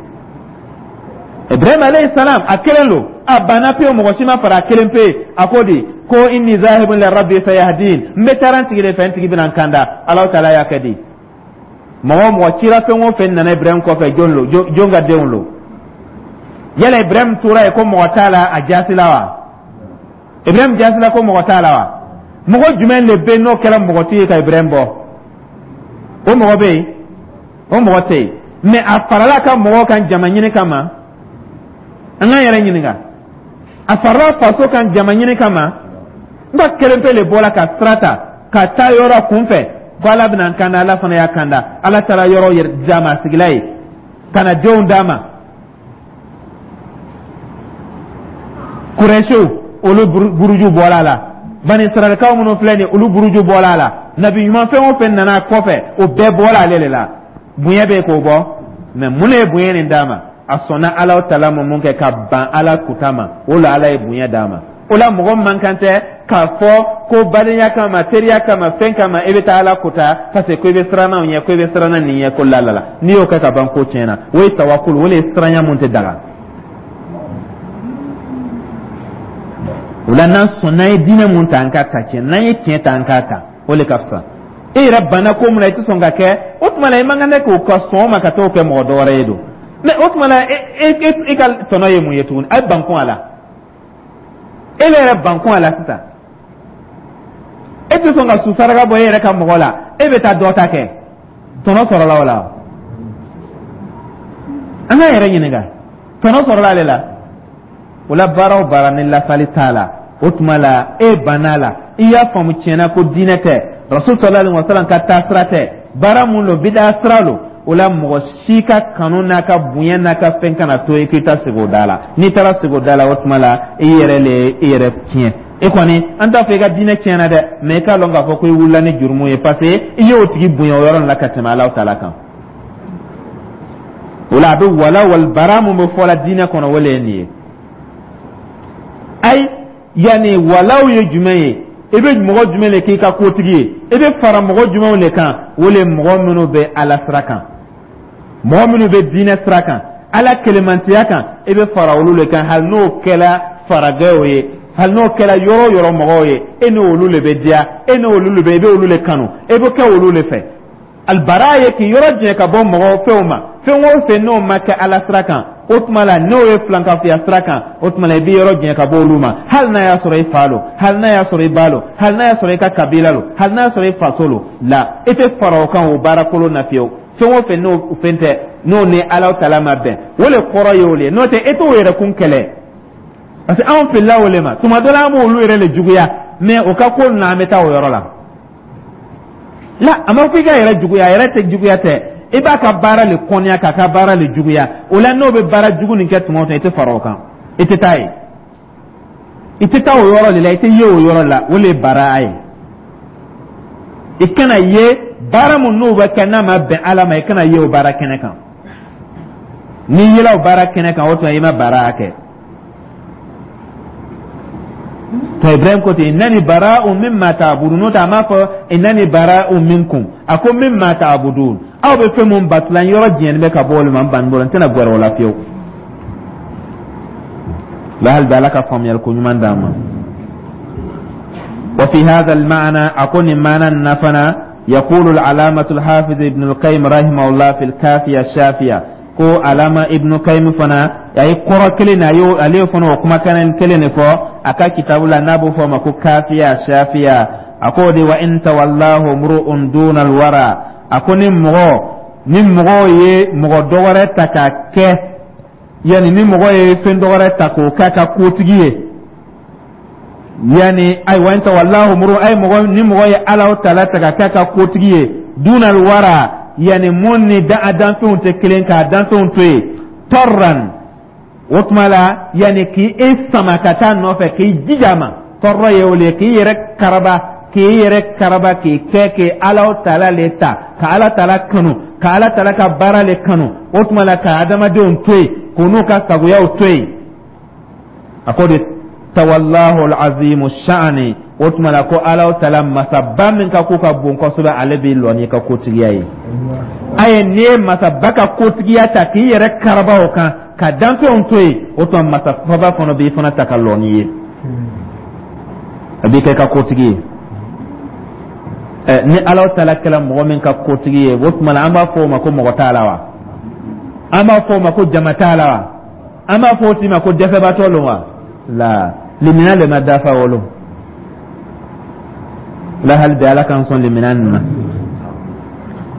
Ibrahim alayhi salam, a kelen lo, a banna pewu, mɔgɔ si ma fara, a kelen pe. A ko di ko inni zahibun li rabbi sayahdin, n bɛ taara n tigi de fɛ, n tigi bɛna n kanda. Alahu taala y'a kɛ di? Mɔgɔ o mɔgɔ cira, fɛn o fɛn nana Ibrahim kɔfɛ, jɔn lo? Jɔn ka denw lo? Yala Ibrahim tora yen ko mɔgɔ t'a la, a jaasila wa? Ibrahim jaasila ko mɔgɔ t'a la wa? Mɔgɔ jumɛn de bɛ yen n'o kɛra mɔgɔtigi ye ka Ibrahim bɔ? O mɔgɔ bɛ yen? O mɔgɔ tɛ yen. Mɛ a farala ka mɔgɔw kan jama ɲini kama. An k'an yɛrɛ ɲininka, a farala faso kan jama ɲini kama? N ka kelen pe le bɔra ka sira ta ka taa yɔrɔ kunfɛ ko Ala bɛna n kanda. Ala fana y'a kanda. Ala taara yɔrɔ yɛrɛ d'a ma, a sigila yen ka na denw d'a ma. Kurɛsiw, olu buruju bɔra a la. Bani Israɛlkaw minnu filɛ nin ye, olu buruju bɔra a la. Nabi ɲuman fɛn o fɛn nana kɔfɛ, o bɛɛ bɔra ale de la. Bonya bɛ k'o bɔ, mɛ mun de ye bonya nin d'a ma? A sɔnna Ala tala ma mun kɛ ka ban Ala kuta ma, o la Ala ye bonya d'a ma. O la mɔgɔ man kan tɛ k'a fɔ ko badenya kama, teriya kama, fɛn kama, e bɛ taa Ala kuta parce que ko i bɛ siran anw ɲɛ, ko i bɛ siran nin ɲɛ, ko la la la. N'i y'o kɛ ka ban, ko tiɲɛna. O ye tawakulu, o de ye siranya mun tɛ daga. O la n'an sɔnna ye diinɛ mun ta, an k'a ta tiɲɛ. N'an ye tiɲɛ ta, an k'a ta, o de ka fisa. E yɛrɛ banna ko mun na, i tɛ sɔn ka kɛ, o tuma la i man kan tɛ k'o ka sɔn o ma ka t'o kɛ mɔgɔ dɔ wɛrɛ ye don. Mɛ o tuma la e e e ka tɔnɔ ye mun ye tuguni? A ye bankun a la, e yɛrɛ bankun a la sisan. E tɛ sɔn ka su saraka bɔ e yɛrɛ ka mɔgɔ la, e bɛ taa dɔ ta kɛ, tɔnɔ sɔrɔla o la? An k'an yɛrɛ ɲininka, tɔnɔ sɔrɔla ale la? O la baara o baara ni lafali t'a la, o tuma la e banna a la, i y'a faamu tiɲɛna ko diinɛ tɛ, Rasul sallallahu alaihi wasallam ka taasira tɛ, baara mun lo, bida sira lo. O la mɔgɔ si ka kanu n'a ka bonya n'a ka fɛn kana to i k'i ta sigi o da la. N'i taara sigi o da la, o tuma la i yɛrɛ le i yɛrɛ tiɲɛ. E kɔni, an t'a fɔ i ka diinɛ tiɲɛna dɛ, mɛ i k'a lɔn k'a fɔ ko i wulila ni jurumu ye, parce que i y'o tigi bonya o yɔrɔ la ka tɛmɛ Alahu taala kan. O la a bɛ wala wal bara mun bɛ fɔ la diinɛ kɔnɔ, o le ye nin ye. Ayi, yanni walaw ye jumɛn ye? I bɛ mɔgɔ jumɛn de k'i ka kotigi ye? I bɛ fara mɔgɔ jumɛnw de kan? O le mɔgɔ minnu bɛ Ala sira kan, mɔgɔ minnu bɛ diinɛ sira kan, Ala kelemantiya kan, i bɛ fara olu de kan. Hali n'o kɛra faragɛw ye, hali n'o kɛra yɔrɔ o yɔrɔ mɔgɔw ye, e n'olu de bɛ diya, e n'olu de bɛ, i bɛ olu de kanu, e bɛ kɛ olu de fɛ. Alibara ye k'i yɔrɔ janya ka bɔ mɔgɔw fɛnw ma, fɛn o fɛn n'o ma kɛ Ala sira kan, o tuma la n'o ye filankafoya sira kan, o tuma la i b'i yɔrɔ janya ka bɔ olu ma, hali n'a y'a sɔrɔ i fa lo, hali n'a y'a sɔrɔ i ba lo, hali n'a y'a sɔrɔ i ka kabila lo, hali n'a y'a sɔrɔ i faso lo la, i tɛ fara o kan o baara kolon na fiyewu. Fɛn o fɛn n'o fɛn tɛ, n'o ni Ala tala ma bɛn, o le kɔrɔ ye o le ye. N'o tɛ, e t'o yɛrɛ kun kɛlɛ, parce que anw filila o le ma. Tuma dɔ la an b'olu yɛrɛ le juguya, mais o ka ko ninnu, an bɛ taa o yɔrɔ la. La, a ma fɔ i ka yɛrɛ juguya, a yɛrɛ tɛ juguya tɛ, i b'a ka baara le kɔniya, k'a ka baara le juguya. O la n'o bɛ baara jugu nin kɛ tuma o tuma, i tɛ fara o kan, i tɛ taa yen, i tɛ taa o yɔrɔ de la, i tɛ ye o yɔrɔ la. O le ye baara ye. I kana ye baara mun n'o bɛ kɛ n'a ma bɛn Ala ma, i kana ye o baara kɛnɛ kan. N'i yela o baara kɛnɛ kan, o tuma i ma baara kɛ. To Ibrahim ko ten: innani bara'un mimma ta'budun. N'o tɛ, a m'a fɔ innani bara'un minkum, a ko mimma ta'budun. Aw bɛ fɛn mun batula, n yɔrɔ jɛni bɛ ka bɔ olu ma, n banni bolo, n tɛna gɛrɛ o la fiyewu. La, hali bi Ala ka faamuyali ko ɲuman d'an ma. Wa fi hadha al-ma'na, a ko nin maana nin na fana, yaqulu al-alamatu al-hafiz ibn al-qayyim rahimahullah fi al-kafiya shafiya, ko alama Ibnu Kayim fana a ye kɔrɔ kelen na, a y'o ale fana o kumakan kelen de fɔ a ka kitabu la n'a b'o fɔ a ma ko Kafiya Shafiya. A ko de: wa in tawallahu mru'un duna alwara, a ko ni mɔgɔ ni mɔgɔ ye mɔgɔ dɔ wɛrɛ ta k'a kɛ, yanni ni mɔgɔ ye fɛn dɔ wɛrɛ ta k'o k'a ka kotigi ye, yani ayiwa, in tawallahu mru'un, ay mɔgɔ ni mɔgɔ ye Ala tala ta k'a k'a ka kotigi ye, duna alwara, yani mun ni da a danfɛnw tɛ kelen, k'a danfɛnw to yen, tɔrran, o tuma la yani k'i e sama ka taa nɔfɛ, k'i jija ma, tɔɔrɔ ye o le ye, k'i yɛrɛ karaba, k'i yɛrɛ karaba, k'i kɛ k'i Ala tala le ta, ka Ala tala kanu, ka Ala tala ka baara le kanu, o tuma la ka adamadenw to yen, k'u n'u ka sagoyaw to yen. A ko de: tawallahu al-azimu sha'ani. O tuma la ko Ala taala masaba min ka ko ka bon kosɛbɛ, ale b'i lɔ n'i ka kotigiya ye. Ayi, n'i ye masaba ka kotigiya ta k'i yɛrɛ karaba o kan ka danfɛnw to yen, o tuma masaba fana b'i fana ta ka lɔ n'i ye, a b'i kɛ ka kotigi ye. Ɛ, ni Ala taala kɛra mɔgɔ min ka kotigi ye, o tuma la an b'a fɔ o ma ko mɔgɔ t'a la wa? An b'a fɔ o ma ko jama t'a la wa? An b'a fɔ o tigi ma ko dɛsɛbaatɔ lo wa? La limina le ma dafa wolo la. Hali bi Ala k'an sɔn limina nin na.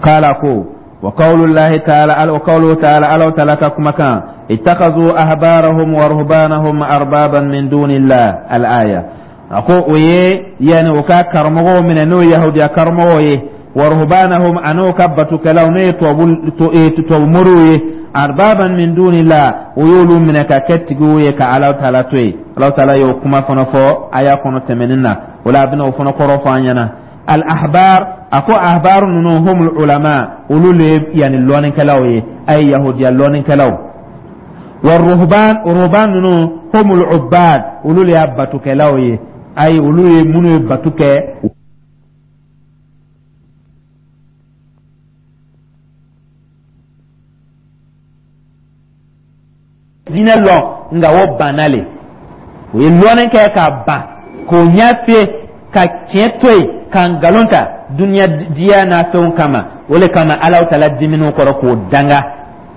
Kala ko wa qawlullahi ta'ala wa qawluhu ta'ala, Ala ta'ala ka kumakan, ittakhadhu ahbarahum wa ruhbanahum arbaban min dunillah, al-aya. A ko o ye yani o ka karamɔgɔw minɛ, n'o ye yahudiya karamɔgɔw ye, wa ruhbanahum, an'o ka batukɛlaw, n'o ye tubabu tubabu moriw ye, arbaban min dunillah, o y'olu minɛ ka kɛ tigiw ye ka Ala taala to yen. Ala taala y'o kuma fana fɔ aya kɔnɔ tɛmɛnen na. O la a bɛna o fana kɔrɔ fɔ an ɲɛna. Al ahbar, a ko ahbar ninnu, humul ulama, olu le ye yani lɔnnikɛlaw ye, a ye yahudiya lɔnnikɛlaw. Wa ruhban, ruhban ninnu, humul ubbad, olu le y'a batukɛlaw ye, ayi, olu ye minnu ye batu kɛ. Diinɛ lɔn, nka o banna le, o ye lɔnni kɛ ka ban k'o ɲɛ fiyɛ ka tiɲɛ to yen ka nkalon ta duniya diya n'a fɛnw kama. O le kama Ala taala diminiw kɔrɔ k'o danga,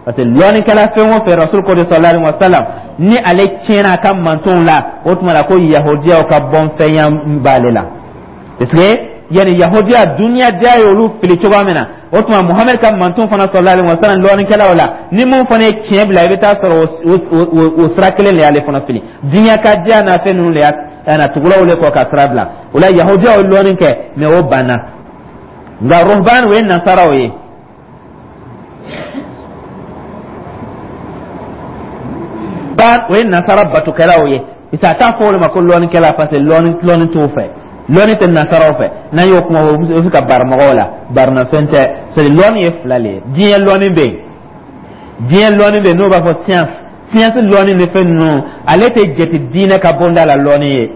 parce que lɔnnikɛla fɛn o fɛn, Rasul ko de sallallahu alaihi wa sallam, ni ale tiɲɛna a ka mantonw la, o tuma la ko yahudiyaw ka bɔnfɛnya b'ale la, parce que yani yahudiya duniya diya ye olu fili cogoya min na, o tuma Muhammed ka manton fana sallallahu alaihi wa sallam, lɔnnikɛlaw la, ni mun fana ye tiɲɛ bila, i bɛ taa sɔrɔ o o sira kelen de y'ale fana fili. Diɲɛ ka diya n'a fɛn ninnu de y'a na tugulaw le kɔ ka sira bila. O la yahudiyaw ye lɔnni kɛ, mais o banna. Nka ruhban, o ye nasaraw ye. Ban, o ye nasara batukɛlaw ye, parce que a t'a fɔ olu ma ko lɔnnikɛla, parce que lɔnni lɔnni t'o fɛ, lɔnni tɛ nasaraw fɛ. N'an y'o kuma o bɛ se ka bari mɔgɔw la, barinafɛn tɛ. C'est lɔnni ye fila le ye. Diɲɛ lɔnni bɛ yen, diɲɛ lɔnni bɛ yen, n'o b'a fɔ science, science lɔnni ni fɛn ninnu, ale tɛ jate diinɛ ka bonda la lɔnni ye.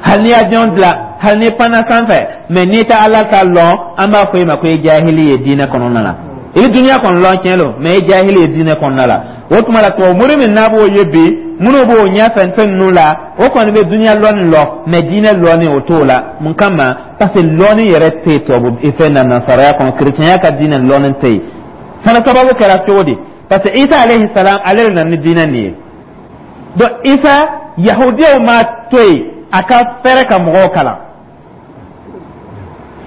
Hali n'i avion dilan, hali n'i panna sanfɛ, mais n'i tɛ Ala ta lɔn, an b'a fɔ e ma ko e jahili ye diinɛ kɔnɔna na. I bɛ dunuya kɔni lɔn, tiɲɛ don, mais e jahili ye diinɛ kɔnɔna la. O tuma la tubabu mori min n'a b'o ye bi, minnu b'o ɲɛfɛ fɛn ninnu la, o kɔni bɛ dunuya lɔnni lɔn, mais diinɛ lɔnni o t'o la. Mun kama? Parce que lɔnni yɛrɛ tɛ yen tubabu fɛn na, nasaraya kɔnɔ, kerecɛnya ka diinɛ lɔnni tɛ yen fana. Sababu kɛra cogo di? Parce que Isa alayhi salam, ale de nana ni diinɛ nin ye. Donc Isa, yahudiyaw m'a to yen a ka fɛrɛ ka mɔgɔw kalan.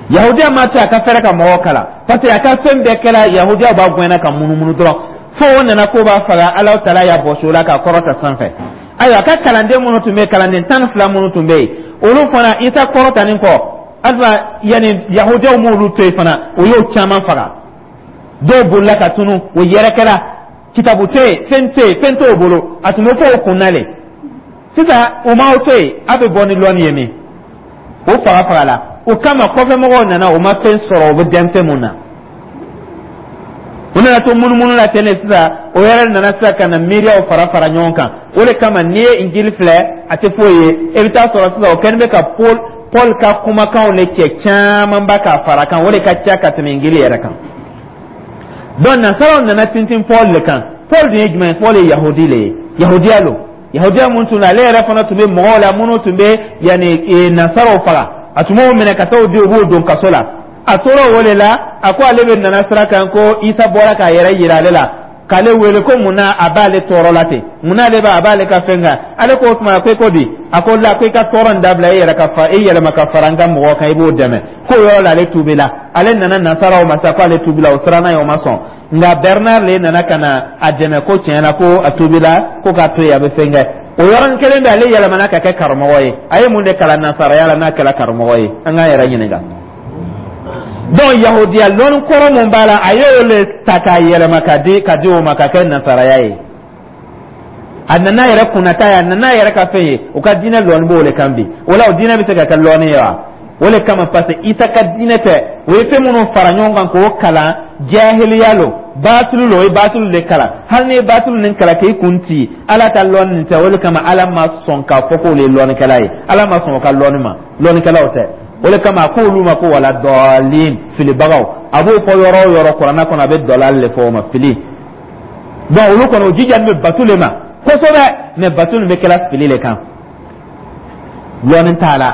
Yahudiya m'a to a ka fɛrɛ ka mɔgɔw kalan, parce que a ka fɛn bɛɛ kɛra yahudiyaw b'a gɛnna ka munumunu dɔrɔn, fo o nana ko b'a faga. Ala taala y'a bɔsi o la k'a kɔrɔta sanfɛ. Ayiwa, a ka kalanden minnu tun bɛ yen, kalanden tan ni fila minnu tun bɛ yen, olu fana, Isa kɔrɔtalen kɔ, alisa yanni yahudiyaw m'olu to yen fana, o y'o caman faga. Dɔw bolila ka tunu, o yɛrɛkɛra, kitabu tɛ yen, fɛn tɛ yen, fɛn t'o bolo, a tun bɛ fɔ o kunna le. Sisan o m'aw to yen, a bɛ bɔ ni lɔnni ye min, o faga faga la. O kama kɔfɛmɔgɔw nana, o ma fɛn sɔrɔ, o bɛ denmisɛn mun na, u nana to munumunu la ten de. Sisan o yɛrɛ nana sisan ka na miiriyaw fara fara ɲɔgɔn kan. O de kama n'i ye Injili filɛ, a tɛ foyi ye. E bɛ taa sɔrɔ sisan o kɛlen bɛ ka Paul Paul ka kumakanw de cɛ camanba k'a fara kan, o de ka ca ka tɛmɛ Injili yɛrɛ kan. Donc nasaraw nana tintin Paul de kan. Paul dun ye jumɛn ye? Paul ye yahudi le ye, yahudiya lo, yahudiya mun tun ale yɛrɛ fana tun bɛ mɔgɔw la minnu tun bɛ yanni nasaraw faga, a tun b'o minɛ ka taa o di, u b'o don kaso la. A tora o de la, a ko ale bɛ nana sira kan ko Isa bɔra k'a yɛrɛ yira ale la, k'ale wele ko mun na a b'ale tɔɔrɔ la ten, mun na ale b'a a b'ale ka fɛn kan. Ale ko o tuma ko e ko di? A ko la, ko i ka tɔɔrɔ nin dabila, e yɛrɛ ka fa e yɛlɛma ka fara n ka mɔgɔw kan, i b'o dɛmɛ. K'o yɔrɔ la ale tuubi la, ale nana nasaraw ma sa ko ale tuubi la, o siranna ye, o ma sɔn. Nka Bernard le nana ka na a dɛmɛ ko tiɲɛ na ko a tuubi la, ko k'a to yen, a bɛ fɛn kɛ. O yɔrɔnin kelen bɛ, ale yɛlɛmana ka kɛ karamɔgɔ ye. A ye mun de kalan nasaraya la n'a kɛra karamɔgɔ ye? An k'an yɛrɛ ɲininka. Donc yahudiya lɔnni kɔrɔ mun b'a la, a y'o le ta k'a yɛlɛma ka di ka di o ma ka kɛ nasaraya ye. A nana yɛrɛ kunnata ye, a nana yɛrɛ ka fɛn ye. O ka diinɛ lɔnni b'o de kan bi. O la o diinɛ bɛ se ka kɛ lɔnni ye wa? O de kama, parce que Isa ka diinɛ tɛ, o ye fɛn minnu fara ɲɔgɔn kan k'o kalan. Jahiliya lo, batulu lo. O ye batulu de kalan. Hali n'i ye batulu nin kalan k'i kun ci, Ala ka lɔnni nin tɛ. O de kama Ala ma sɔn k'a fɔ k'olu ye lɔnnikɛla ye. Ala ma sɔn o ka lɔnni ma, lɔnnikɛlaw tɛ. O de kama a k'olu ma ko wala dɔɔlin, filibagaw. A b'o fɔ yɔrɔ o yɔrɔ Kuranɛ kɔnɔ, a bɛ dɔlali de fɔ o ma, fili. Donc olu kɔni, o jija bɛ batu le ma kosɛbɛ, mais batu nin bɛ kɛla fili le kan, lɔnni t'a la.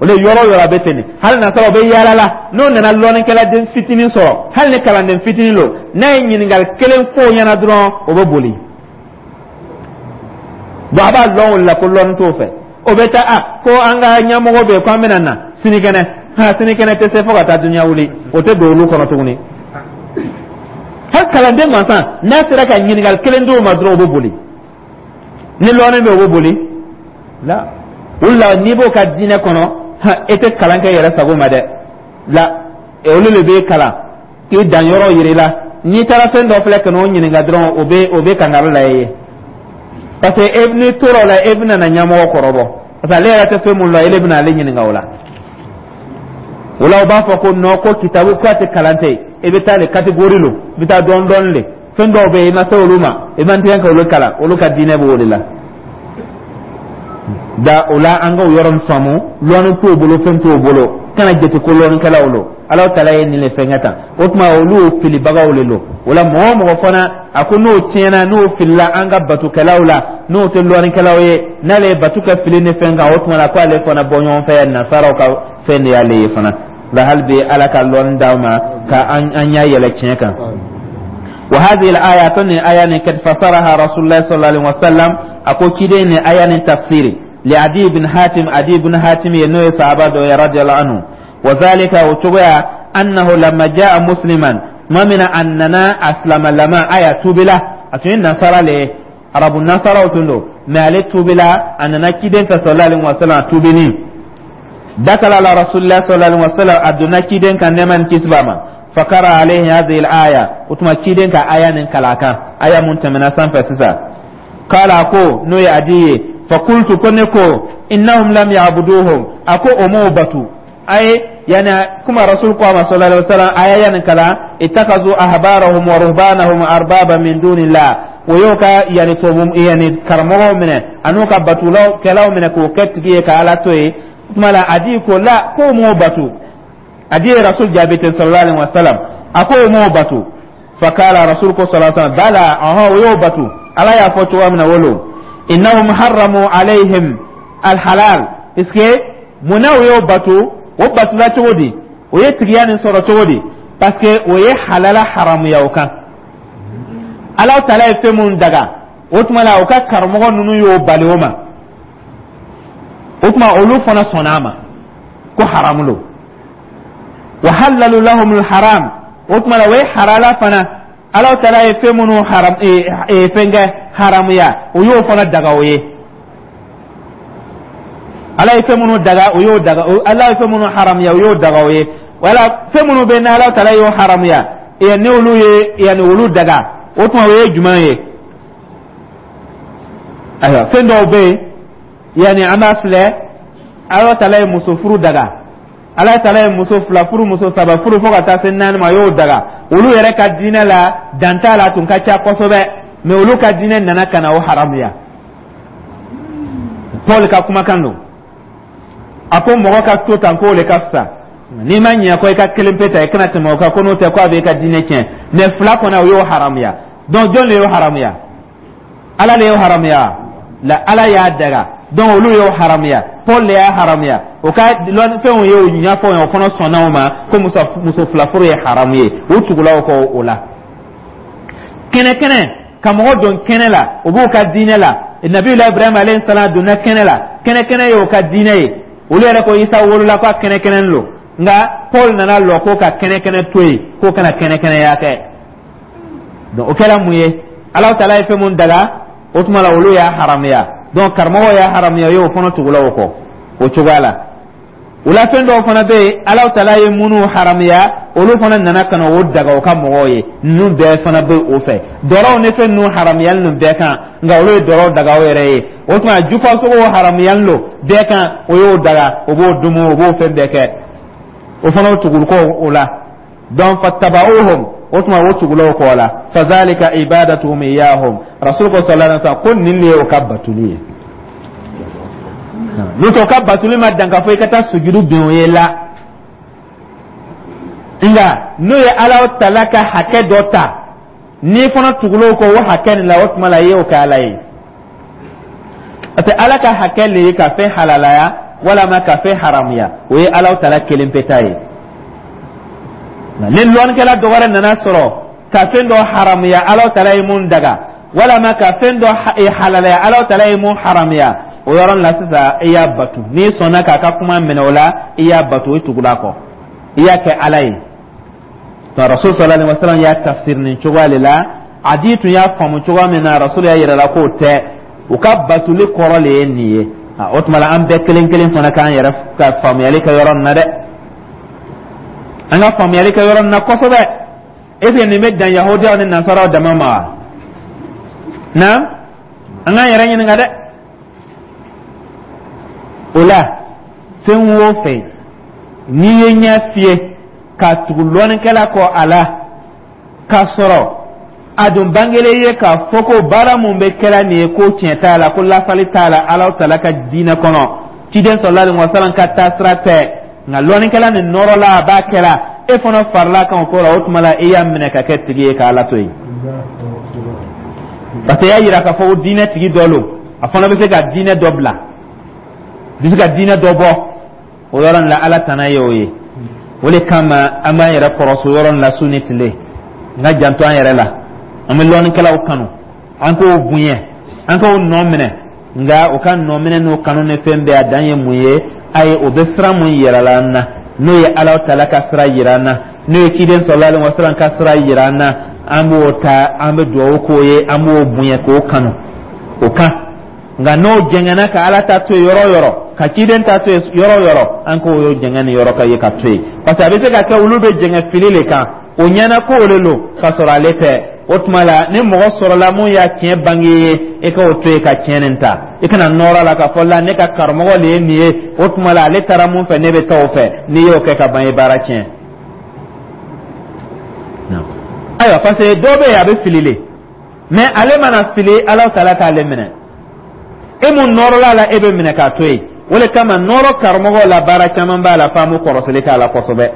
O de yɔrɔ o yɔrɔ a bɛ ten de. Hali nasaraw bɛ yaala la, n'o nana lɔnnikɛla den fitinin sɔrɔ, hali ni kalanden fitinin don, n'a ye ɲininkali kelen fɔ o ɲɛna dɔrɔn, o bɛ boli. Donc a b'a lɔn o la ko lɔnni t'o fɛ. O bɛ taa a ko an ka ɲɛmɔgɔ bɛ yen ko an bɛna na sinikɛnɛ. Ha, sinikɛnɛ tɛ se fo ka taa dunuya wuli, o tɛ don olu kɔnɔ tuguni. Hali kalanden gansan, n'a sera ka ɲininkali kelen d'o ma dɔrɔn, o bɛ boli. Ni lɔnni bɛ, o bɛ boli la. O la, n'i b'o ka diinɛ kɔnɔ, e tɛ kalan kɛ yɛrɛ sago ma dɛ. La, olu de b'e kalan k'i dan yɔrɔ yir'i la. N'i taara fɛn dɔ filɛ ka n'o ɲininka dɔrɔn, o bɛ o bɛ kangari la e ye, parce que e n'i tora o la, e bɛna na ɲɛmɔgɔ kɔrɔbɔ, parce que ale yɛrɛ tɛ fɛn mun lɔn, ele bɛna ale ɲininka o la. O la, o b'a fɔ ko non, ko kitabu ko a tɛ kalan tɛ. I bɛ taa le catégorie lo, i bɛ taa dɔɔni dɔɔni le. Fɛn dɔw bɛ yen, i ma se olu ma, i man tigɛ ka olu kalan. Olu ka diinɛ b'o de la. Da o la, an ka o yɔrɔ min faamu, lɔnni t'o bolo, fɛn t'o bolo, kana jate ko lɔnnikɛlaw lo. Ala taala ye nin le fɛnkɛ tan. O tuma, olu y'o filibagaw le lo. O la, mɔgɔ o mɔgɔ fana a ko n'o tiɲɛna, n'o filila an ka batukɛlaw la, n'o tɛ lɔnnikɛlaw ye, n'ale ye batu kɛ fili ni fɛn kan, o tuma la ko ale fana bɔ ɲɔgɔn fɛ nasaraw ka fɛn de y'ale ye fana. Nka hali bi, Ala ka lɔnni d'aw ma ka an an ɲɛ yɛlɛ tiɲɛ kan. وهذه الآية آية قد فسرها رسول الله صلى الله عليه وسلم. أكو كيدين آية تفسيري لعدي بن حاتم، عدي بن حاتم ينوي صحابة رضي الله عنه. وذلك وتبع أنه لما جاء مسلما ما من أننا أسلم لما آية توبلا أتوين نصارى له، عرب النصارى وتندو ما عليه توبلا أننا كيدين صلى الله عليه وسلم توبني. دخل على رسول الله صلى الله عليه وسلم، أدنى كيدين كان نمان كسبما، فقرأ عليه هذه الآية. وتما كيدين كآية نكلاكا، آية منتمنة سنفسسا. قال أكو نو يأدي فقلت كنكو إنهم لم يعبدوهم. أكو أمو باتو أي يعني كما رسول الله صلى الله عليه وسلم آية ينكلا اتخذوا أحبارهم ورهبانهم أربابا من دون الله. ويوكا يعني توبم يعني كرمو منه أنوكا باتولو كلاو منه كو كتجي كالا توي. ثم لا أدي كو لا كو مو باتو. أدي رسول جابت صلى الله عليه وسلم أكو مو باتو. فقال رسول صلى الله عليه وسلم بلى، أها ويو باتو. ألا يا فتوى من ولو إنهم حرموا عليهم الحلال. إسكي مناو يو باتو وباتو لا تودي ويتريان صورة تودي parce que o ye halala haramuya o kan. Ala taala ye fɛn mun daga, o tuma la o ka karamɔgɔ ninnu y'o bali o ma. O tuma olu fana sɔnna a ma ko haramu lo. Wa halalu lahumul haram, o tuma la o ye halala fana, Ala taala ye fɛn minnu haram fɛn kɛ haramuya, o y'o fana daga o ye. Ala ye fɛn minnu daga, o y'o daga. Ala ye fɛn minnu haramuya, o y'o daga o ye. Wala fɛn minnu bɛ n'Ala taala y'o haramuya, ni olu ye yanni olu daga, o tuma o ye jumɛn ye? Ayiwa, fɛn dɔw bɛ yen, yanni an b'a filɛ, Ala taala ye muso furu daga, Ala taala ye muso fila furu, muso saba furu, fo ka taa se naani ma, a y'o daga. Olu yɛrɛ ka diinɛ la, dan t'a la, a tun ka ca kosɛbɛ, mais olu ka diinɛ nana ka na o haramuya. Paul ka kumakan don, a ko mɔgɔ ka to tan k'o le ka fisa. N'i ma ɲɛ ko i ka kelen pe ta, i kana tɛmɛ o kan, ko n'o tɛ ko a b'i ka diinɛ tiɲɛ. Mais fila kɔnɔ, o y'o haramuya. Donc jɔn de y'o haramuya? Ala de y'o haramuya la, Ala y'a daga. Donc olu y'o haramuya, Paul de y'a haramuya. O ka fɛnw ye o ɲɛfɔ o fana sɔnna o ma ko muso muso fila furu ye haramu ye. U tugula o kɔ o la kɛnɛ kɛnɛ ka mɔgɔ don kɛnɛ la, o b'u ka diinɛ la. Nabiyula Ibrahima alayhi salam donna kɛnɛ la, kɛnɛ kɛnɛ y'o ka diinɛ ye. Olu yɛrɛ ko Isa wolola ko a kɛnɛ kɛnɛ lo, nka Paul nana lɔ ko ka kɛnɛ kɛnɛ to yen, k'o kana kɛnɛ kɛnɛya kɛ. Donc o kɛra mun ye? Ala taala ye fɛn mun daga, o tuma la olu y'a haramuya. Donc karamɔgɔw y'a haramuya o ye, o fana tugula o kɔ o cogoya la. O la, fɛn dɔw fana bɛ yen, Ala taala ye minnu haramuya, olu fana nana ka na o daga o ka mɔgɔw ye. Ninnu bɛɛ fana bɛ o fɛ dɔrɔw ni fɛn ninnu haramuyali ninnu bɛɛ kan, nka olu ye dɔrɔw daga o yɛrɛ ye. O tuma jufasogo haramuyali lo bɛɛ kan, o y'o daga, o b'o dumu, o b'o fɛn bɛɛ kɛ, o fana o tuguli kɔ o la. Donc fattaba'uhum, O tuma o tugula o kɔ la. Fazalika ibadatuhum iyahum. Rasul ko sallallahu alaihi wasallam ko nin de ye o ka batuli ye. N'o tɛ, o ka batuli ma dan k'a fɔ i ka taa sujudu bin o ye la, nka n'o ye Ala tala ka hakɛ dɔ ta, n'i fana tugula o kɔ o hakɛ nin la, o tuma la i y'o kɛ Ala ye, parce que Ala ka hakɛ le ye ka fɛn halalaya walama ka fɛn haramuya. O ye Ala tala kelen pe ta ye. Ni lɔnnikɛla dɔ wɛrɛ nana sɔrɔ ka fɛn dɔ haramuya Ala tala ye mun daga, walama ka fɛn dɔ halalaya Ala tala ye mun haramuya, o yɔrɔ la sisan i y'a batu. N'i sɔnna k'a ka kuma minɛ o la, i y'a batu, i tugula kɔ, i y'a kɛ Ala ye. Rasul sallallahu alaihi wasallam y'a tafsir nin cogoya de la. Adi tun y'a faamu cogoya min na, Rasul y'a yira la k'o tɛ, u ka batuli kɔrɔ le ye nin ye. O tuma la, an bɛɛ kelen kelen fana k'an yɛrɛ ka faamuyali kɛ yɔrɔ nin na dɛ. An ka faamuyali kɛ yɔrɔ nin na kosɛbɛ. Est ce que nin bɛ dan Yahudiyaw ni Nasaraw dama ma wa? Na an k'an yɛrɛ ɲininka dɛ. O la, fɛn o fɛn n'i ye ɲɛ fiyɛ ka tugu lɔnnikɛla kɔ a la, k'a sɔrɔ a dun bangelen ye k'a fɔ ko baara mun bɛ kɛla nin ye, ko tiɲɛ t'a la, ko lafali t'a la Ala tala ka diinɛ kɔnɔ, ciden sallallahu alaihi wasallam ka taasira tɛ, nka lɔnnikɛla nin nɔrɔ la a b'a kɛla, e fana farila kan o ko la, o tuma la e y'a minɛ ka kɛ tigi ye k'Ala to yen, parce que i y'a yira k'a fɔ ko diinɛ tigi dɔ lo, a fana bɛ se ka diinɛ dɔ bila, bɛ se ka diinɛ dɔ bɔ. O yɔrɔ nin la, Ala tana ye o ye. O de kama an b'an yɛrɛ kɔrɔso yɔrɔ nin la su ni tile, n ka janto an yɛrɛ la. An bɛ lɔnnikɛlaw kanu, an k'o bonya, an k'o nɔ minɛ, nka o ka nɔ minɛ n'o kanu ni fɛn bɛɛ, a dan ye mun ye? Ayi, o bɛ sira mun yira la an na, n'o ye Ala tala ka sira yira an na, n'o ye ciden sallallahu alaihi wasallam ka sira yira an na, an b'o ta, an bɛ dugawu k'o ye, an b'o bonya k'o kanu o kan. Nka n'o jɛngɛnna ka Ala ta to yen yɔrɔ o yɔrɔ, ka ciden ta to yen yɔrɔ o yɔrɔ, an k'o y'o jɛngɛ ni yɔrɔ ka ye ka to yen, parce que a bɛ se ka kɛ olu bɛ jɛngɛ fili le kan, o ɲɛna ko o de lo k'a sɔrɔ ale tɛ. O tuma la, ni mɔgɔ sɔrɔla mun y'a tiɲɛ bange ye, e k'o to yen ka tiɲɛ nin ta. I kana nɔrɔ la k'a fɔ la ne ka karamɔgɔ le ye nin ye, o tuma la ale taara mun fɛ, ne bɛ taa o fɛ. N'i y'o kɛ ka ban, i baara tiɲɛ. Ayiwa, parce que dɔ bɛ yen, a bɛ fili le, mais ale mana fili, Ala taala t'ale minɛ. E mun nɔrɔla la, e bɛ minɛ k'a to yen. O de kama nɔrɔ karamɔgɔ la, baara caman b'a la f'an b'o kɔrɔsili k'a la kosɛbɛ,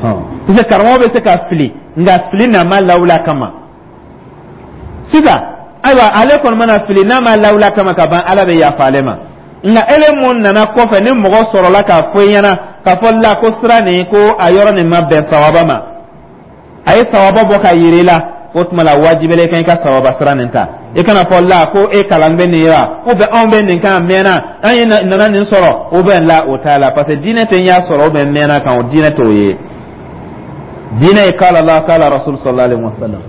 parce que karamɔgɔ bɛ se ka fili, nka fili n'a ma lawuli a kama. Sisan ayiwa, ale kɔni mana fili n'a ma lawuli a kama ka ban, Ala bɛ yafa ale ma. Nka ele mun nana kɔfɛ, ni mɔgɔ sɔrɔla k'a fɔ i ɲɛna k'a fɔ la ko sira nin, ko a yɔrɔ nin ma bɛn sawaba ma, a ye sawaba bɔ ka yiri la, o tuma la wajibila i kan i ka sawaba sira nin ta. I kana fɔ la ko e kalan bɛ nin ye wa, ou bien anw bɛ nin kan mɛnna, an ye nana nin sɔrɔ, ou bien la o t'a la, parce que diinɛ tɛ n y'a sɔrɔ ou bien mɛnna kan, o diinɛ t'o ye. Diinɛ ye kala Allah, kala Rasul sallallahu alaihi wasallam,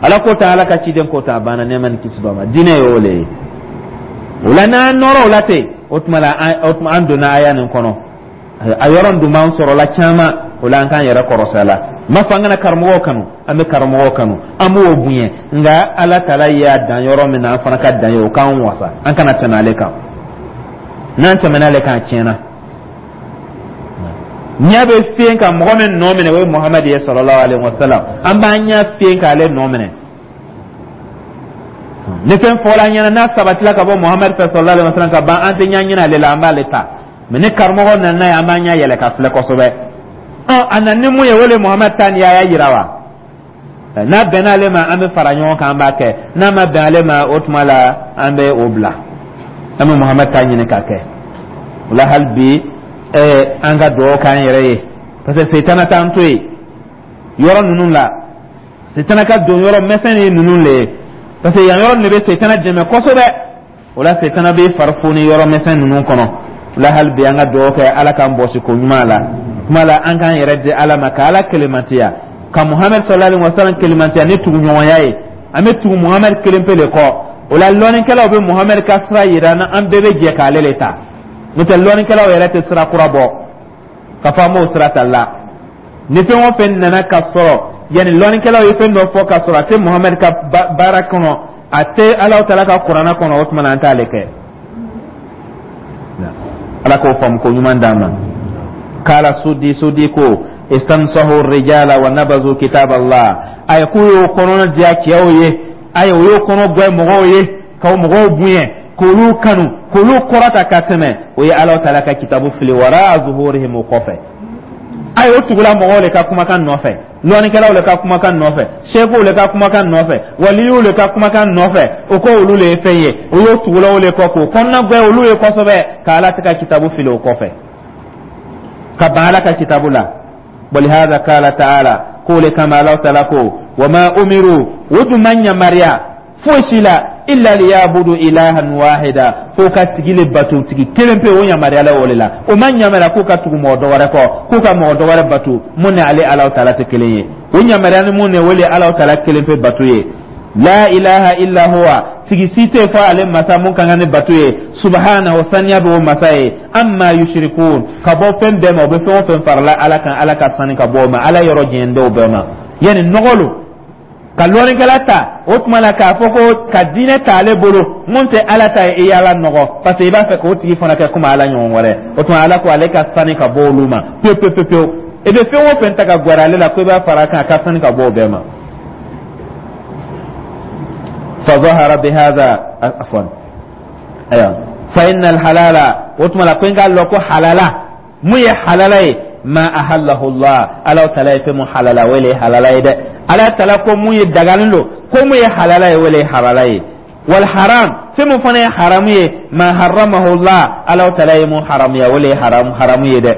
Ala ko ta, Ala ka ciden ko ta, a banna, nɛɛma ni kisi b'a ma. Diinɛ ye o le ye. O la, n'an nɔrɔ o la ten, o tuma la o tuma an donna aya nin kɔnɔ, a yɔrɔ dun b'an sɔrɔla caman. O la, an k'an yɛrɛ kɔrɔsi a la. N m'a fɔ an kana karamɔgɔw kanu, an bɛ karamɔgɔw kanu, an b'o bonya, nka Ala taala y'a dan yɔrɔ min na, an fana ka dan ye o k'an wasa, an kana tɛmɛ ale kan. N'an tɛmɛna ale kan, a tiɲɛna. Ɲɛ bɛ fiyen ka mɔgɔ min nɔ minɛ, o ye Muhamadu ye sallallahu alaihi wasallam. An b'an ɲɛ fiyen k'ale nɔ minɛ. Ni fɛn fɔra an ɲɛna, n'a sabatila ka bɔ Muhamadu fɛ sallallahu alaihi wasallam ka ban, an tɛ ɲɛ ɲini ale la, an b'ale ta. Mɛ ni karamɔgɔ nana n'a ye, an b'an ɲɛ yɛlɛ ka filɛ kosɛbɛ. Ɔ, a nana ni mun ye? O de Muhamadu ta nin ye, a y'a yira wa? N'a bɛnna ale ma, an bɛ fara ɲɔgɔn kan, an b'a kɛ. N'a ma bɛn ale ma, o tuma la an bɛ o bila, an bɛ Muhamadu ta ɲini k'a kɛ. O la, hali bi ɛɛ an ka dugawu k'an yɛrɛ ye, parce que setana t'an to yen yɔrɔ ninnu la. Setana ka don yɔrɔ mɛsɛn ye ninnu le ye, parce que yan yɔrɔ de bɛ setana dɛmɛ kosɛbɛ. O la, setana bɛ fari foni yɔrɔ mɛsɛn ninnu kɔnɔ. O la, hali bi an ka dugawu kɛ, Ala k'an bɔsi ko ɲuman la. Kuma la, an k'an yɛrɛ di Ala ma, ka Ala kelenmantiya, ka Muhamadu sallallahu alaihi wa sallam kelenmantiya ni tuguɲɔgɔnya ye. An bɛ tugu Muhamadu kelen pe de kɔ. O la, lɔnnikɛlaw bɛ Muhamadu ka sira yira an na, an bɛɛ bɛ jɛ k'ale le ta. N'o tɛ, lɔnnikɛlaw yɛrɛ tɛ sira kura bɔ ka fɔ an b'o sira ta la. Ni fɛn o fɛn nana ka sɔrɔ yanni lɔnnikɛlaw ye fɛn dɔ fɔ ka sɔrɔ a tɛ Muhamadu ka baara kɔnɔ, a tɛ Ala taala ka Kuranɛ kɔnɔ, o tuma na an t'ale kɛ. Ala k'o faamu ko ɲuman d'an ma. Kala sudi sudi ko Istansahu rijala wa nabazu kitab Allah. Ayi, k'u y'o kɔnɔna diya cɛw ye, ayi, o y'o kɔnɔ gwɛ mɔgɔw ye, k'o mɔgɔw bonya, k'olu kanu, k'olu kɔrɔta ka tɛmɛ. O ye Ala taala ka kitabu fili wara zuhurihim, o kɔfɛ. Ayi, o tugula mɔgɔw de ka kumakan nɔfɛ, lɔnnikɛlaw de ka kumakan nɔfɛ, sekuw de ka kumakan nɔfɛ, waliyuw de ka kumakan nɔfɛ. O ko olu le ye fɛn ye, o y'o tugulaw de kɔ, k'o kɔnɔna gwɛ olu ye kosɛbɛ, ka Ala tɛ ka kitabu fili o kɔfɛ, ka ban Ala ka kitabu la. Walihada kala taala, k'o le kama Ala taala ko: wama umiru, o dun ma yamaruya foyi si la, illa liyabudu ilahan wahida, fo ka tigi le bato, tigi kelen pe. O yamaruyala o le la. O ma yamaruya k'u ka tugu mɔgɔ dɔ wɛrɛ kɔ, k'u ka mɔgɔ dɔ wɛrɛ bato mun ni ale Ala taala tɛ kelen ye. O yamaruya ni mun ni o le Ala taala kelen pe bato ye. La ilaha illa huwa, tigi si tɛ fɔ ale masa mun kan ka ni bato ye. Subhanahu, saniya bɛ o masa ye. Amma yushrikun, ka bɔ fɛn bɛɛ ma, o bɛ fɛn o fɛn farala Ala kan, Ala ka sani ka bɔ o ma. Ala yɔrɔ jɛn dɔw bɛɛ ma yanni nɔgɔ lo ka lɔnnikɛla ta. O tuma la, k'a fɔ ko ka diinɛ ta ale bolo mun tɛ Ala ta ye, i y'Ala nɔgɔ, parce que i b'a fɛ k'o tigi fana kɛ komi Ala ɲɔgɔn wɛrɛ. O tuma, Ala ko ale ka sani ka bɔ olu ma pewu pewu pewu pewu. I bɛ fɛn o fɛn ta ka gwɛrɛ ale la ko i b'a fara a kan, a ka sani ka bɔ o bɛɛ ma. فظهر بهذا، عفوا، ايوه، فإن الحلال، وتما لا كوين قال لكو حلالا، مو حلالا ما أحله الله، الله تعالى في مو حلالا ولي حلالا يده. الله تعالى كو مو يدغالن لو كو مو حلالا ولي حلالا. والحرام في مو فني حرام ما حرمه الله، الله تعالى مو حرام يا ولي حرام حرام يده.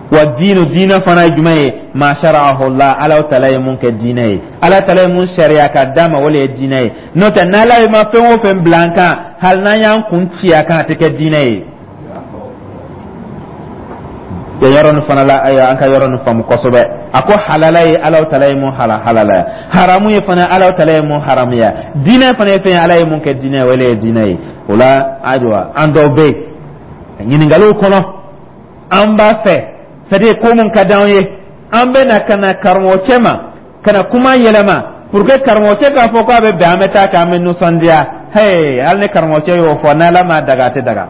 والدين، دين فنا جمعي ما شرعه الله، الله تعالى mun kɛ diinɛ ye, Ala taala mun sariya ka d'a ma, o le ye diinɛ ye. N'o tɛ, n'Ala ye ma fɛn o fɛn bila an kan, hali n'an y'an kun ci a kan, a tɛ kɛ diinɛ ye. Yan yɔrɔ nin fana la, ayiwa, an ka yɔrɔ nin faamu kosɛbɛ. A ko halala ye Ala taala ye mun halalaya, haramu ye fana Ala taala ye mun haramuya, diinɛ fana ye fɛn ye Ala ye mun kɛ diinɛ ye, o le ye diinɛ ye. O la, ayiwa, an dɔw bɛ yen ɲininkaliw kɔnɔ, an b'a fɛ, c'est à dire ko mun ka d'anw ye, an bɛ na ka na karamɔgɔcɛ ma ka na kuma yɛlɛma pour que karamɔgɔcɛ k'a fɔ k'a bɛ bɛn, an bɛ taa k'an bɛ nisɔndiya. Hey, hali ni karamɔgɔcɛ y'o fɔ, n'Ala m'a daga, a tɛ daga.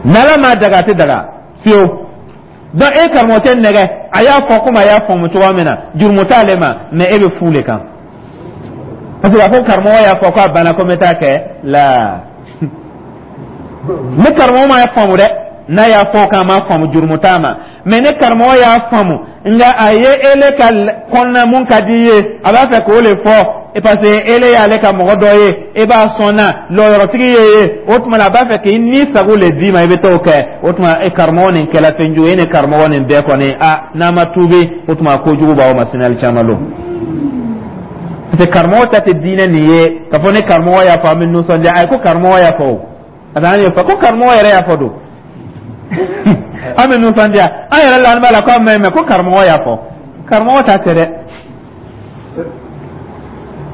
N'Ala m'a daga, a tɛ daga fiyewu. Donc e karamɔgɔcɛ nɛgɛ, a y'a fɔ komi a y'a faamu cogoya min na, jurumu t'ale ma, mais e bɛ fu le kan, parce que a ko karamɔgɔ y'a fɔ k'a banna, ko n bɛ taa kɛ la. Ni karamɔgɔ ma faamu dɛ, n'a y'a fɔ k'a ma faamu, jurumu t'a ma. Mais ni karamɔgɔ y'a faamu, nka a ye ele ka kɔnɔna mun ka di i ye, a b'a fɛ k'o le fɔ, parce que ele y'ale ka mɔgɔ dɔ ye, e b'a sɔn na lɔyɔrɔtigi ye ye, o tuma na a b'a fɛ k'i ni sago le d'i ma, i bɛ t'o kɛ. O tuma e karamɔgɔ nin kɛla fɛn jugu ye. E ni karamɔgɔ nin bɛɛ kɔni, a n'a ma tuubi, o tuma kojugu b'aw ma sini alikiyama don, parce que karamɔgɔ ta tɛ diinɛ nin ye k'a fɔ ni karamɔgɔ y'a fɔ, an bɛ nisɔndiya. Ayi, ko karamɔgɔ y'a fɔ, o parce que an y'o fɔ ko karamɔgɔ yɛrɛ y'a fɔ don, an bɛ nisɔndiya, an yɛrɛ la, an b'a la ko an mɛn mɛ ko karamɔgɔ y'a fɔ. Karamɔgɔ ta tɛ dɛ,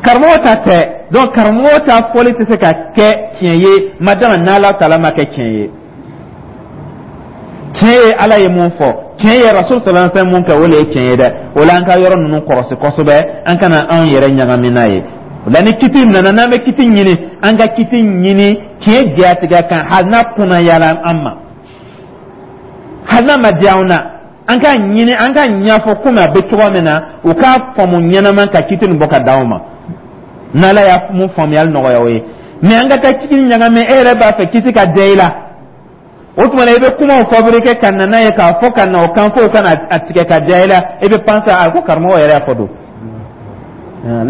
karamɔgɔ ta tɛ. Donc karamɔgɔ ta fɔli tɛ se ka kɛ tiɲɛ ye madama n'Ala taala ma kɛ tiɲɛ ye. Tiɲɛ ye Ala ye mun fɔ, tiɲɛ ye Rasul sallallahu alaihi wasallam mun kɛ, o le ye tiɲɛ ye dɛ. O la, an ka yɔrɔ ninnu kɔlɔsi kosɛbɛ, an kana anw yɛrɛ ɲagami n'a ye. O la, ni kiti nana, n'an bɛ kiti ɲini, an ka kiti ɲini tiɲɛ jatigɛ kan, hali n'a kunnayala an ma, hali n'a ma diya anw na, an k'a ɲini, an k'a ɲɛfɔ komi a bɛ cogo min na, u k'a faamu ɲɛnama ka kiti nin bɔ ka d'anw ma. N'Ala y'a mun faamuyali nɔgɔya o ye. Mais an ka taa kiti ɲagami, e yɛrɛ b'a fɛ kiti ka diya i la, o tuma na i bɛ kumaw fabriquer ka na n'a ye k'a fɔ ka na o kan fo ka na a tigɛ ka diya i la. I bɛ penser a ko karamɔgɔ yɛrɛ y'a fɔ don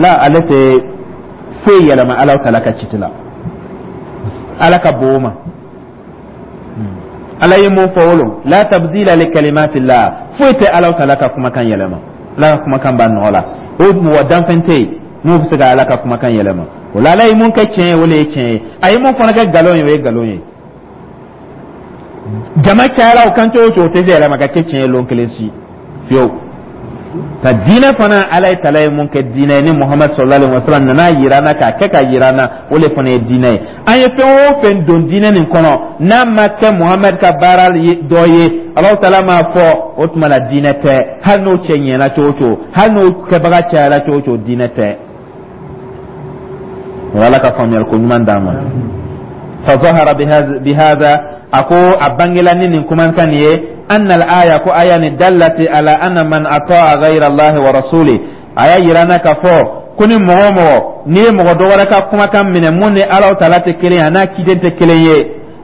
la, ale tɛ foyi yɛlɛma Ala taala ka kiti la. Ala ka bon o ma. Ala ye mun fɔ o la tabdila li kalimatillah, foyi tɛ Ala taala ka kumakan yɛlɛma. Ala ka kumakan b'a nɔ la, o mɔgɔ danfɛn tɛ yen n'o bɛ se ka Ala ka kumakan yɛlɛma. O la, Ala ye mun kɛ tiɲɛ ye, o le ye tiɲɛ ye. A ye mun fana kɛ nkalon ye, o ye nkalon ye. Jama cayara o kan cogo o cogo, o tɛ se yɛlɛma ka kɛ tiɲɛ ye lon kelen si fiyewu. Ka diinɛ fana, Ala ye tala ye mun kɛ diinɛ ye, ni Muhamadu sallallahu alaihi wa sallam nana yira an na, k'a kɛ ka yira an na, o le fana ye diinɛ ye. An ye fɛn o fɛn don diinɛ nin kɔnɔ, n'a ma kɛ Muhamadu ka baara dɔ ye, Alahu taala m'a fɔ, o tuma la diinɛ tɛ. Hali n'o cɛ ɲɛna cogo o cogo, hali n'o kɛbaga cayara cogo o cogo, diinɛ tɛ. O Ala ka faamuyali ko ɲuman d'an ma. Fa zahara bihadha, a ko a bangela ni nin kumakan nin ye. Anna al-aya, ko aya ni, dallati ala anna man ata'a ghayra Allah wa rasuli, a y'a yira na k'a fɔ ko ni mɔgɔ o mɔgɔ n'i ye mɔgɔ dɔ wɛrɛ ka kumakan minɛ mun ni Ala taala tɛ kelen ye, a n'a ciden tɛ kelen ye,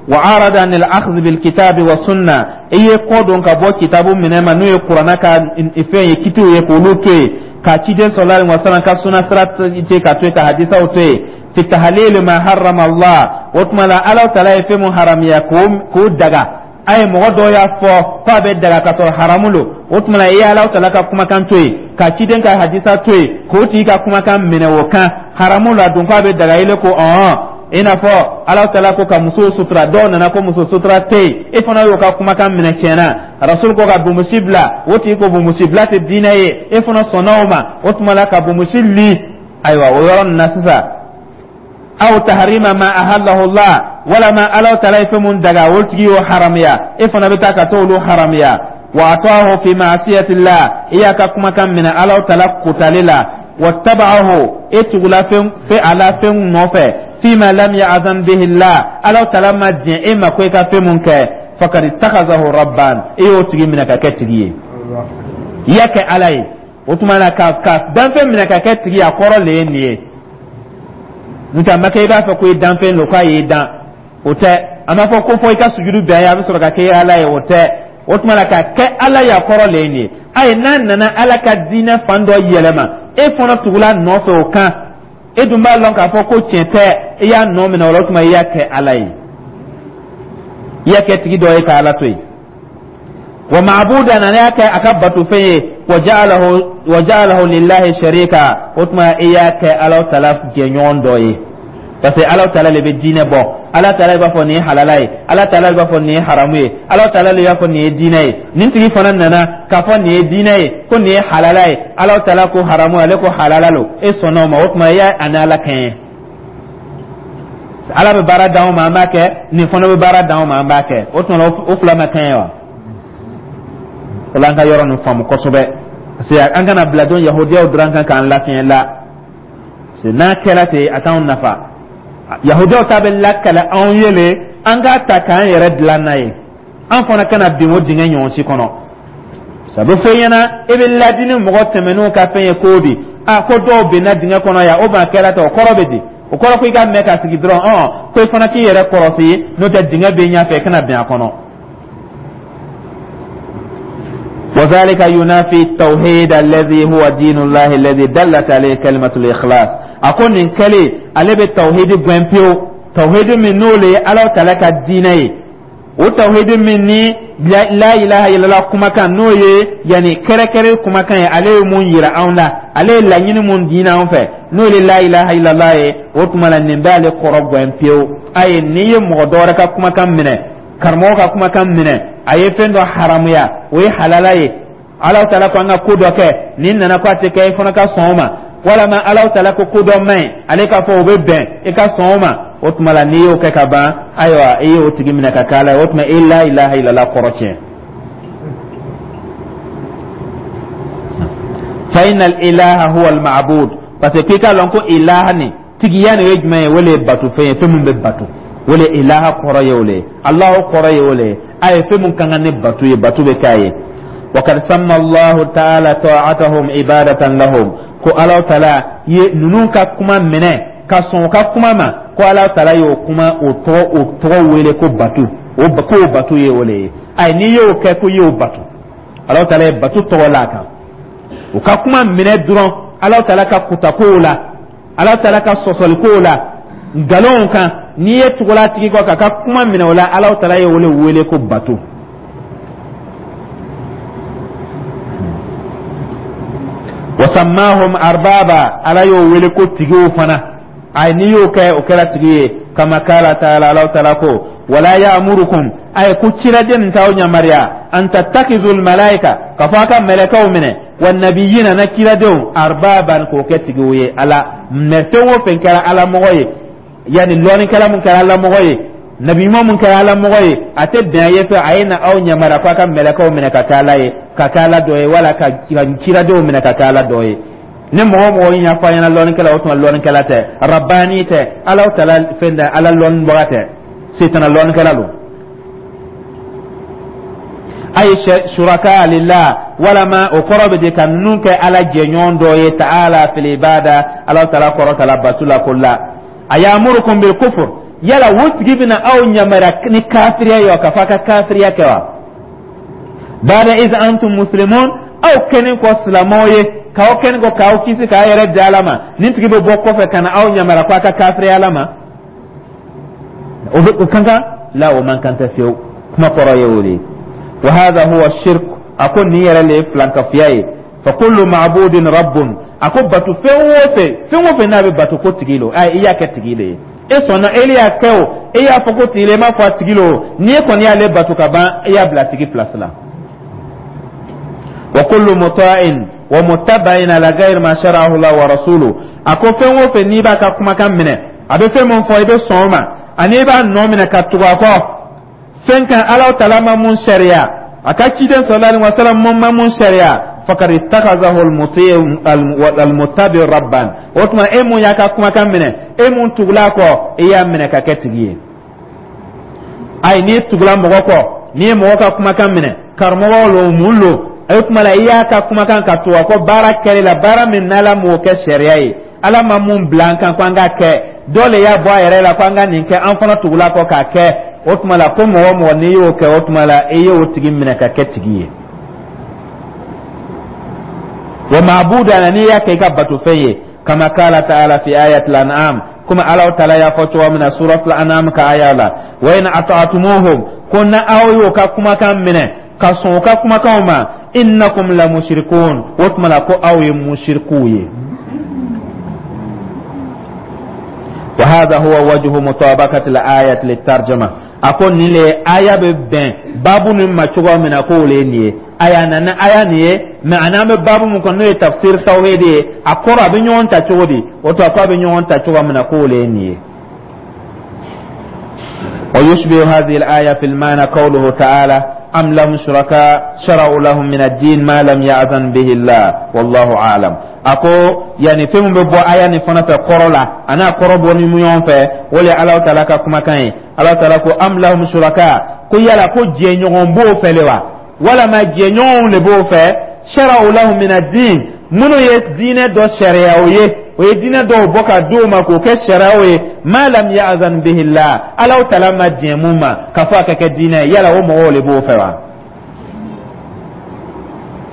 wa arada an al-akhdh bil kitabi wa sunna, i ye kɔ don ka bɔ kitabu minɛ ma, n'o ye kuranna ka fɛn ye, kitiw ye, k'olu to yen, ka ciden sallallahu alaihi wasallam ka sunna sira to ka to yen, ka hadisaw to yen, fi tahlil ma harrama Allah, o tuma la Ala taala ye fɛn mun haramiya k'o daga, a ye mɔgɔ dɔw y'a fɔ k'a bɛ daga ka sɔrɔ haramu don, o tuma la i ye Ala taala ka kumakan to yen, ka ciden ka hadisa to yen, k'o tigi ka kumakan minɛ o kan, haramu la don k'a bɛ daga, ile ko ɔhɔn. I n'a fɔ Ala taala ko ka muso sutura, dɔw nana ko muso sutura tɛ yen, e fana y'o ka kumakan minɛ. Tiɲɛna, rasul ko ka bonmusi bila, o tigi ko bonmusi bila tɛ diinɛ ye, e fana sɔnna o ma, o tuma la ka bonmusi li. Ayiwa, o yɔrɔ nin na sisan, aw taharima ma ahallahu Allah, walama Ala taala ye fɛn mun daga, o tigi y'o haramiya, e fana bɛ taa ka t'olu haramiya. Wa ataahu fi ma'siyatillah, i y'a ka kumakan minɛ Ala taala kotali la, wattaba'ahu, e tugula fɛn fɛn a la fɛn nɔfɛ, fima lam ya'zan bihi Allah, Ala taala ma diɲɛ e ma ko i ka fɛn mun kɛ, fakad ittakhazahu rabban, e y'o tigi minɛ ka kɛ tigi ye, i y'a kɛ Ala ye. O tuma na ka ka danfɛn minɛ ka kɛ tigi ye, a kɔrɔ le ye nin ye. N'o tɛ, a ma kɛ i b'a fɔ ko i danfɛn don k'a y'i dan, o tɛ. A ma fɔ ko fɔ i ka sujudu bɛn ye, a bɛ sɔrɔ ka kɛ Ala ye, o tɛ. O tuma na ka kɛ Ala ye, a kɔrɔ le ye nin ye. Ayi, n'a nana Ala ka diinɛ fan dɔ yɛlɛma, e fana tugula nɔfɛ o kan, e dun b'a lɔn k'a fɔ ko tiɲɛ tɛ, i y'a nɔ minɛ o la, o tuma i y'a kɛ Ala ye, i y'a kɛ tigi dɔ ye ka Ala to yen. Wa ma'budan, a y'a kɛ a ka batofɛn ye, wa ja'alahu wa ja'alahu lillahi sharika, o tuma i y'a kɛ Ala taala jɛɲɔgɔn dɔ ye, parce que Ala taala le bɛ diinɛ bɔ, Ala taala b'a fɔ nin ye halala ye, Ala taala b'a fɔ nin ye haramu ye, Ala taala le b'a fɔ nin ye diinɛ ye. Nin tigi fana nana k'a fɔ nin ye diinɛ ye, ko nin ye halala ye, Ala taala ko haramu, ale ko halala lo, e sɔnna o ma, o tuma i y'a ani Ala kɛɲɛ. Ala bɛ baara d'anw ma, an b'a kɛ, nin fana bɛ baara d'anw ma, an b'a kɛ, o tuma o fila ma kɛɲɛ wa? O la, an ka yɔrɔ nin faamu kosɛbɛ, parce que an kana bila don yahudiyaw dɔrɔn kan k'an lafiɲɛ la, parce que n'a kɛra ten, a t'anw nafa. Yahudiyaw ta bɛ lakale anw ye le, an k'a ta k'an yɛrɛ dilan n'a ye, an fana kana bin o dingɛ ɲɔgɔn si kɔnɔ. Sabu fɛn ɲɛna, e bɛ ladini mɔgɔ tɛmɛnenw ka fɛn ye ko di, a ko dɔw binna dingɛ kɔnɔ yan, o ma kɛra ten, o kɔrɔ bɛ di? O kɔrɔ ko i ka mɛn ka sigi dɔrɔn, ɔn, ko i fana k'i yɛrɛ kɔlɔsi, n'o tɛ dingɛ bɛ ɲɛfɛ, i kana bin a kɔnɔ. وذلك ينافي التوحيد الذي هو دين الله الذي دلت عليه كلمة الإخلاص. أكون إن كلي على بالتوحيد بوين، توحيد من نولي على تلك الدين، o tawhidi min ni la ilaha illallah kumakan n'o ye, yani kɛrɛkɛrɛ kumakan ye, ale ye mun yira anw la, ale ye laɲini mun diina anw fɛ, n'o ye la ilaha illallah ye, o tuma la nin b'ale kɔrɔ gɛn pewu. Ayi, n'i ye mɔgɔ dɔ wɛrɛ ka kumakan minɛ, karamɔgɔ ka kumakan minɛ, a ye fɛn dɔ haramuya, o ye halala ye, Ala taala ko an ka ko dɔ kɛ, nin nana ko a tɛ kɛ, i fana ka sɔn o ma, walama Ala taala ko ko dɔ man ɲi, ale k'a fɔ o bɛ bɛn, i ka sɔn o ma, o tuma la n'i y'o kɛ ka ban, ayiwa, i y'o tigi minɛ ka kɛ Ala ye, o tuma i la ilaha illallah kɔrɔ tiɲɛ. Fa inna al ilaha huwa al ma'bud, parce que k'i k'a lɔn ko ilaha ni tigiya nin ye jumɛn ye? O le ye bato fɛn ye, fɛn min bɛ bato, o le ilaha kɔrɔ ye, o le ye Alahu kɔrɔ ye, o le ye a ye fɛn min ka kan ni bato ye, bato bɛ k'a ye. وقد سمى الله تعالى طاعتهم عبادة لهم, ko Ala taala ye ninnu ka kuma minɛ ka sɔn ka kuma ma, ko Ala taala y'o kuma o tɔgɔ o tɔgɔ wele ko bato, o k'o bato ye o le ye. Ayi, n'i y'o kɛ ko i y'o bato, Ala taala ye bato tɔgɔ la a kan. U ka kuma minɛ dɔrɔn Ala taala ka kutakow la, Ala taala ka sɔsɔlikow la, nkalonw kan, n'i ye tugula tigi kɔ k'a ka kuma minɛ o la, Ala taala ye o le wele ko bato. Wasammahum arbaba, Ala y'o wele ko tigiw fana. Ayi, n'i y'o kɛ, o kɛra tigi ye. Kama kala taala, Ala taala ko wala ya'murukum, ayi, ko ciraden nin t'aw yamaruya, an tattakizul malaika, ka fɔ a ka mɛlɛkɛw minɛ, wa nabiyina, na kiradenw, arbaban, k'o kɛ tigiw ye. Ala mɛ fɛn o fɛn kɛra Ala mɔgɔ ye, yanni lɔnnikɛla mun kɛra Ala mɔgɔ ye, nabi ɲuman mun kɛra Ala mɔgɔ ye, a tɛ bɛn a ye fɛ a ye na aw yamaruya k'a ka mɛlɛkɛw minɛ ka kɛ Ala ye, ka kɛ Ala dɔ ye, wala ka kiradenw minɛ ka kɛ Ala dɔ ye. Ni mɔgɔ o mɔgɔ y'a fɔ a ɲɛna lɔnnikɛla, o tuma lɔnnikɛla tɛ, rabani tɛ, Ala taala fɛn tɛ, Ala lɔnnibaga tɛ, setana lɔnnikɛla don. Ay shuraka lillah, walama o kɔrɔ bɛ di ka ninnu kɛ Ala jɛɲɔgɔn dɔ ye, ta'ala fil ibada, Ala taala kɔrɔ ta la bato la ko la. Ayamurukum bil kufr, yala o tigi bɛna aw yamaruya ni kafiriya ye wa, ka fɔ a ka kafiriya kɛ wa? Bada iz antum muslimun, aw kɛlen kɔ silamɛw ye, k'aw kɛlen kɔ k'aw kisi k'aw yɛrɛ di Ala ma, nin tigi bɛ bɔ kɔfɛ ka na aw yamaruya ko a ka kafiriya Ala ma? O bɛ o kan kan la, o man kan tɛ fiyewu. Kuma kɔrɔ ye o de ye. Wa hadha huwa shirk, a ko nin yɛrɛ le ye filankafoya ye. Fa kullu ma'budin rabbun, a ko batu fɛn o fɛn, fɛn o fɛn n'a bɛ batu ko tigi lo, ayi, i y'a kɛ tigi le ye, e sɔnna, e y'a kɛ o, e y'a fɔ ko tigi le, e m'a fɔ a tigi lo, n'i kɔni y'ale batu ka ban, i y'a bila a tigi place la. Wa kullu muta'in wa muttaba'in ala ghayri ma shara'ahu Allah wa rasuluhu, a ko fɛn o fɛn n'i b'a ka kumakan minɛ, a bɛ fɛn min fɔ, i bɛ sɔn o ma, ani i b'a nɔ minɛ ka tugu a kɔ fɛn kan, Ala taala ma mun sariya, a ka ciden sallallahu alaihi wa sallam ma mun sariya, fakad ittakazahu almuttabi rabban. O tuma e mun y'a ka kumakan minɛ, e mun tugula kɔ, e y'a minɛ ka kɛ tigi ye. Ayi, n'i tugula mɔgɔ kɔ, n'i ye mɔgɔ ka kumakan minɛ, karamɔgɔ lo, mun lo, o tuma la i y'a ka kumakan ka tugu a kɔ baara kɛli la, baara min n'Ala m'o kɛ sariya ye, Ala ma mun bila an kan ko an k'a kɛ, dɔ le y'a bɔ a yɛrɛ la ko an ka nin kɛ, an fana tugula kɔ k'a kɛ. O tuma la ko mɔgɔ mɔgɔ n'i y'o kɛ, o tuma la i y'o tigi minɛ ka kɛ tigi ye. Wa ma'budan, n'i y'a kɛ i ka batofɛn ye, kama qala ta'ala fi ayatil an'am, komi Ala taala y'a fɔ cogo min na suratul an'am ka aya la, wa in ata'tumuhum, ko na aw y'o ka kumakan minɛ ka sɔn o ka kumakanw ma, innakum la mushrikun, o tuma la ko aw ye mushrikuw ye. Wa hadha huwa wajhu mutabaqati al-ayati lit-tarjuma, a ko nin le aya bɛ bɛn baabu nin ma cogo min na, k'o le ye nin ye. Aya nana aya nin ye, mɛ a n'an bɛ baabu min kɔnɔ, n'o ye tafsir tawhid ye, a kɔrɔ a bɛ ɲɔgɔn ta cogo di? O to a ko a bɛ ɲɔgɔn ta cogo min na, k'o le ye nin ye. ويشبه هذه الآية في المعنى قوله تعالى أم لهم شركاء شرعوا لهم من الدين ما لم يأذن به الله والله أعلم. Ako yani fɛn min bɛ bɔ aya nin fana fɛ kɔrɔ la, a n'a kɔrɔ bɔ ni ɲɔgɔn fɛ, o le ye Alahu taala ka kumakan ye. Alahu taala ko am lahum shuraka, ko yala ko jɛɲɔgɔn b'o fɛ le wa, walama jɛɲɔgɔnw de b'o fɛ, shara'u lahum min ad-din, minnu ye diinɛ dɔ sariyaw ye, o ye diinɛ dɔw bɔ ka d'o ma k'o kɛ sariyaw ye, ma lam ya'zan bihi Allah, Alahu taala ma diɲɛ mun ma k'a fɔ a ka kɛ diinɛ ye, yala o mɔgɔw de b'o fɛ wa?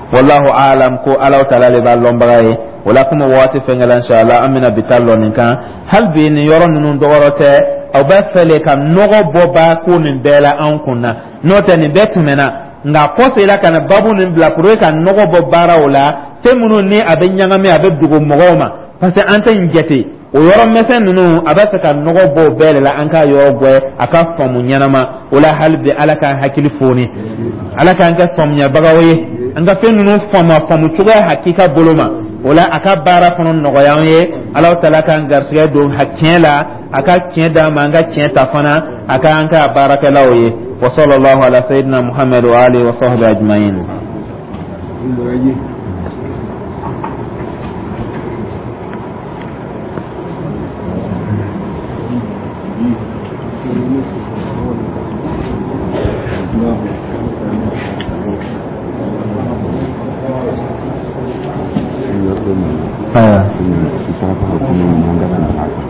Wallahu alam, ko Alahu taala de b'a lɔnbaga ye. O la komi waati fɛnkɛla, inshallah an bɛna bi ta lɔ nin kan. Hali bi nin yɔrɔ ninnu dɔwɛrɛ tɛ, aw bɛ fɛ le ka nɔgɔ bɔ ba ko nin bɛɛ la anw kun na, n'o tɛ nin bɛɛ tɛmɛna, nka kɔsegin ka na babu nin bila pour que ka nɔgɔ bɔ baaraw la, fɛn minnu ni a bɛ ɲagami, a bɛ dogo mɔgɔw ma, parce que an tɛ nin jate o yɔrɔ misɛn ninnu, a bɛ fɛ ka nɔgɔ bɔ o bɛɛ de la, an k'a yɔrɔ bɔ a ka faamu ɲɛnama. O la hali bi Ala k'an hakili foni, Ala k'an kɛ faamuyabagaw ye, an ka fɛn ninnu faamu a faamu cogoya hakika bolo ma. O la a ka baara fana nɔgɔya an ye. Alahu taala k'an garisɛgɛ don tiɲɛ la, a ka tiɲɛ d'an ma, an ka tiɲɛ ta fana, a ka an k'a baarakɛlaw ye. Wa sallallahu ala sayyidina Muhammad wa alihi wa sahbihi ajma'in.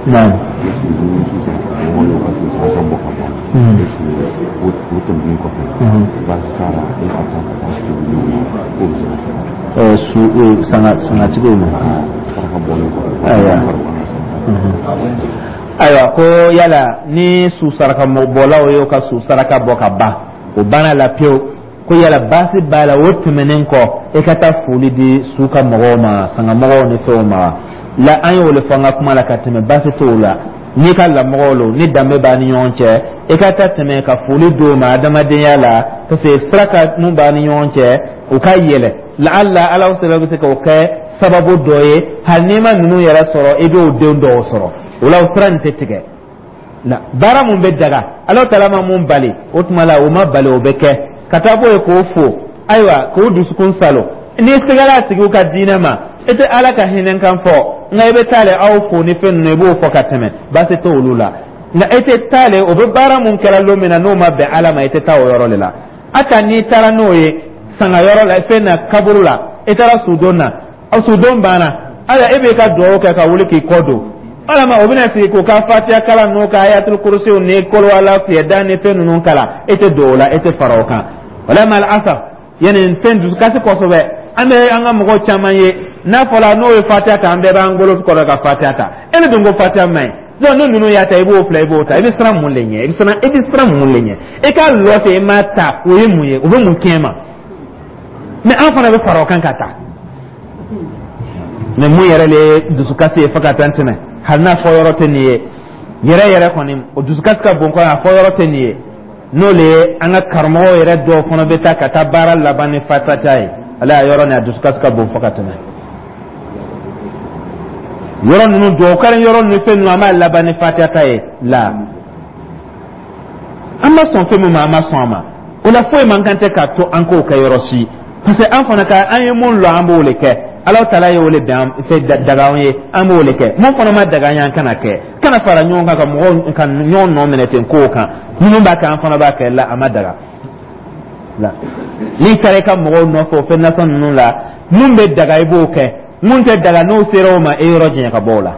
Naam. Su sanga sangatigiw ma. Ayiwa. Ayiwa, ko yala ni su saraka bɔlaw y'o ka su saraka bɔ ka ban, o banna la pewu, ko yala baasi b'a la o tɛmɛnen kɔ e ka taa foli di su ka mɔgɔw ma, sangamɔgɔw ni fɛnw ma la? An y'o de fɔ an ka kuma la ka tɛmɛ, baasi t'o la. N'i ka lamɔgɔw lo, ni danbe b'a ni ɲɔgɔn cɛ, i ka taa tɛmɛ ka foli d'o ma adamadenya la, parce que sira ka mun b'a ni ɲɔgɔn cɛ, o ka yɛlɛ laala Ala sɛbɛn bɛ se k'o kɛ sababu dɔ ye. Hali n'i ma ninnu yɛrɛ sɔrɔ, i b'o den dɔw sɔrɔ o la, o sira nin tɛ tigɛ. Na baara mun bɛ daga, Ala taala ma mun bali, o tuma la o ma bali, o bɛ kɛ ka taa bɔ yen k'o fo, ayiwa, k'o dusukun salo. N'i sɛgɛra a tigiw ka diinɛ ma, i tɛ Ala ka hinɛ kan fɔ, nka i bɛ taa le aw fo ni fɛn ninnu, i b'o fɔ ka tɛmɛ, baasi t'olu la. Nka i tɛ taa le o bɛ baara mun kɛra don min na, n'o ma bɛn Ala ma, i tɛ taa o yɔrɔ de la. Hata n'i taara n'o ye sangayɔrɔ la, fɛn na, kaburu la, i taara sudon na, sudon banna, ayiwa, e b'i ka dugawu kɛ ka wuli k'i kɔ don walama o bɛna sigi k'u ka Fatiya kalan n'u ka Ayatul Kurusiw ni Koloala fiyɛda ni fɛn ninnu kalan, e tɛ don o la, e tɛ fara o kan. Wala mal asaf, yani fɛn dusukasi kosɛbɛ. An bɛ an ka mɔgɔw caman ye, n'a fɔra n'o ye Fatiya ta, an bɛɛ b'an bolo kɔrɔ ka Fatiya ta. E ne dun ko Fatiya man ɲi. Donc ni ninnu y'a ta, i b'o filɛ, i b'o ta, i bɛ siran mun de ɲɛ? I bɛ siran, i bɛ siran mun de ɲɛ? E k'a lɔ ten, i m'a ta, o ye mun ye? O bɛ mun tiɲɛ ma? Mais an fana bɛ fara o kan ka taa. Mais mun yɛrɛ le ye dusukasi ye fo ka taa tɛmɛ, hali n'a fɔ yɔrɔ tɛ nin ye yɛrɛ yɛrɛ kɔni, o dusukasi ka bon kɔni, a fɔ yɔrɔ tɛ nin ye. N'o le ye an ka karamɔgɔw yɛrɛ dɔw fana bɛ taa ka taa baara laban ni Fatiha ye. Ale y'a yɔrɔ nin, a dusukasi ka bon fo ka tɛmɛ. Yɔrɔ ninnu, duwawu kalan yɔrɔ ninnu, fɛn ninnu, an b'a laban ni Fatiha ta ye la. An ma sɔn fɛn min ma, an ma sɔn a ma. O la, foyi man kan tɛ k'a to an k'o kɛ yɔrɔ si, parce que an fana ka an ye mun lɔn, an b'o de kɛ. Ala taala ye o de bɛn fɛ daga an ye, an b'o de kɛ. Mun fana ma daga an ye, an kana kɛ, kana fara ɲɔgɔn kan ka mɔgɔw ka ɲɔgɔn nɔ minɛ ten kow kan. Minnu b'a kɛ, an fana b'a kɛ la, a ma daga la. N'i taara i ka mɔgɔw nɔfɛ o fɛn nasɔn ninnu la, mun bɛ daga, i b'o kɛ. Mun tɛ daga, n'o sera o ma, e yɔrɔ janya ka bɔ o la.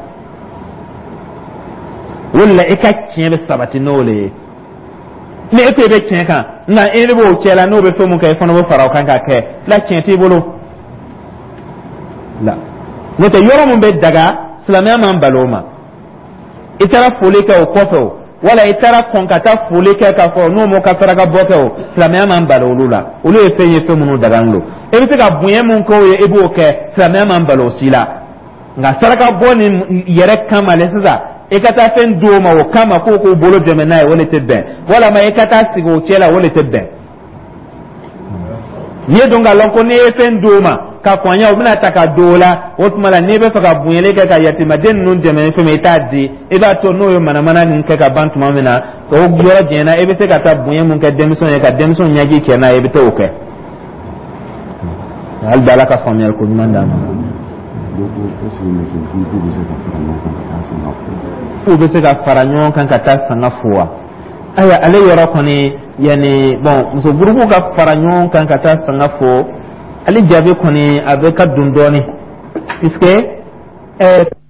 O de la, i ka tiɲɛ bɛ sabati n'o de ye. Ni e ko i bɛ tiɲɛ kan, nka e de b'o cɛ la, n'o bɛ fɛn mun kɛ, i fana bɛ fara o kan k'a kɛ la, tiɲɛ t'i bolo la. N'o tɛ, yɔrɔ mun bɛ daga, silamɛya man bali o ma. I taara foli kɛ o kɔfɛ o, wala i taara kɔn ka taa foli kɛ k'a fɔ n'o m'o ka saraka bɔ kɛ o, silamɛya man bali olu la. Olu ye fɛn ye, fɛn minnu dagalen don. E bɛ se ka bonya mun k'o ye, i b'o kɛ, silamɛya man bali o si la. Nka saraka bɔ ni yɛrɛ kama le sisan, i ka taa fɛn di o ma o kama k'o k'u bolo dɛmɛ n'a ye, o de tɛ bɛn. Walama i ka taa sigi o cɛ la, o de tɛ bɛn. N'i ye dɔn k'a lɔn ko n'i ye fɛn di o ma ka kɔnya, o bɛna ta ka don o la, o tuma la, n'i bɛ fɛ ka bonyali kɛ ka yatimaden ninnu dɛmɛ ni fɛn min ye, i t'a di. I b'a to n'o ye manamana nin kɛ ka ban tuma min na, o yɔrɔ janyana, i bɛ se ka taa bonya mun kɛ denmisɛnw ye ka denmisɛnw ɲɛji cɛ n'a ye, i bɛ t'o kɛ. Hali bi, Ala ka faamuyali ko ɲuman d'an ma. K'u bɛ se ka fara ɲɔgɔn kan ka taa sanga fo wa? Ayiwa, ale yɔrɔ kɔni, yanni bon, muso gurupu ka fara ɲɔgɔn kan ka taa sanga fo, ale jaabi kɔni a bɛ ka dun dɔɔni, puisque ɛɛ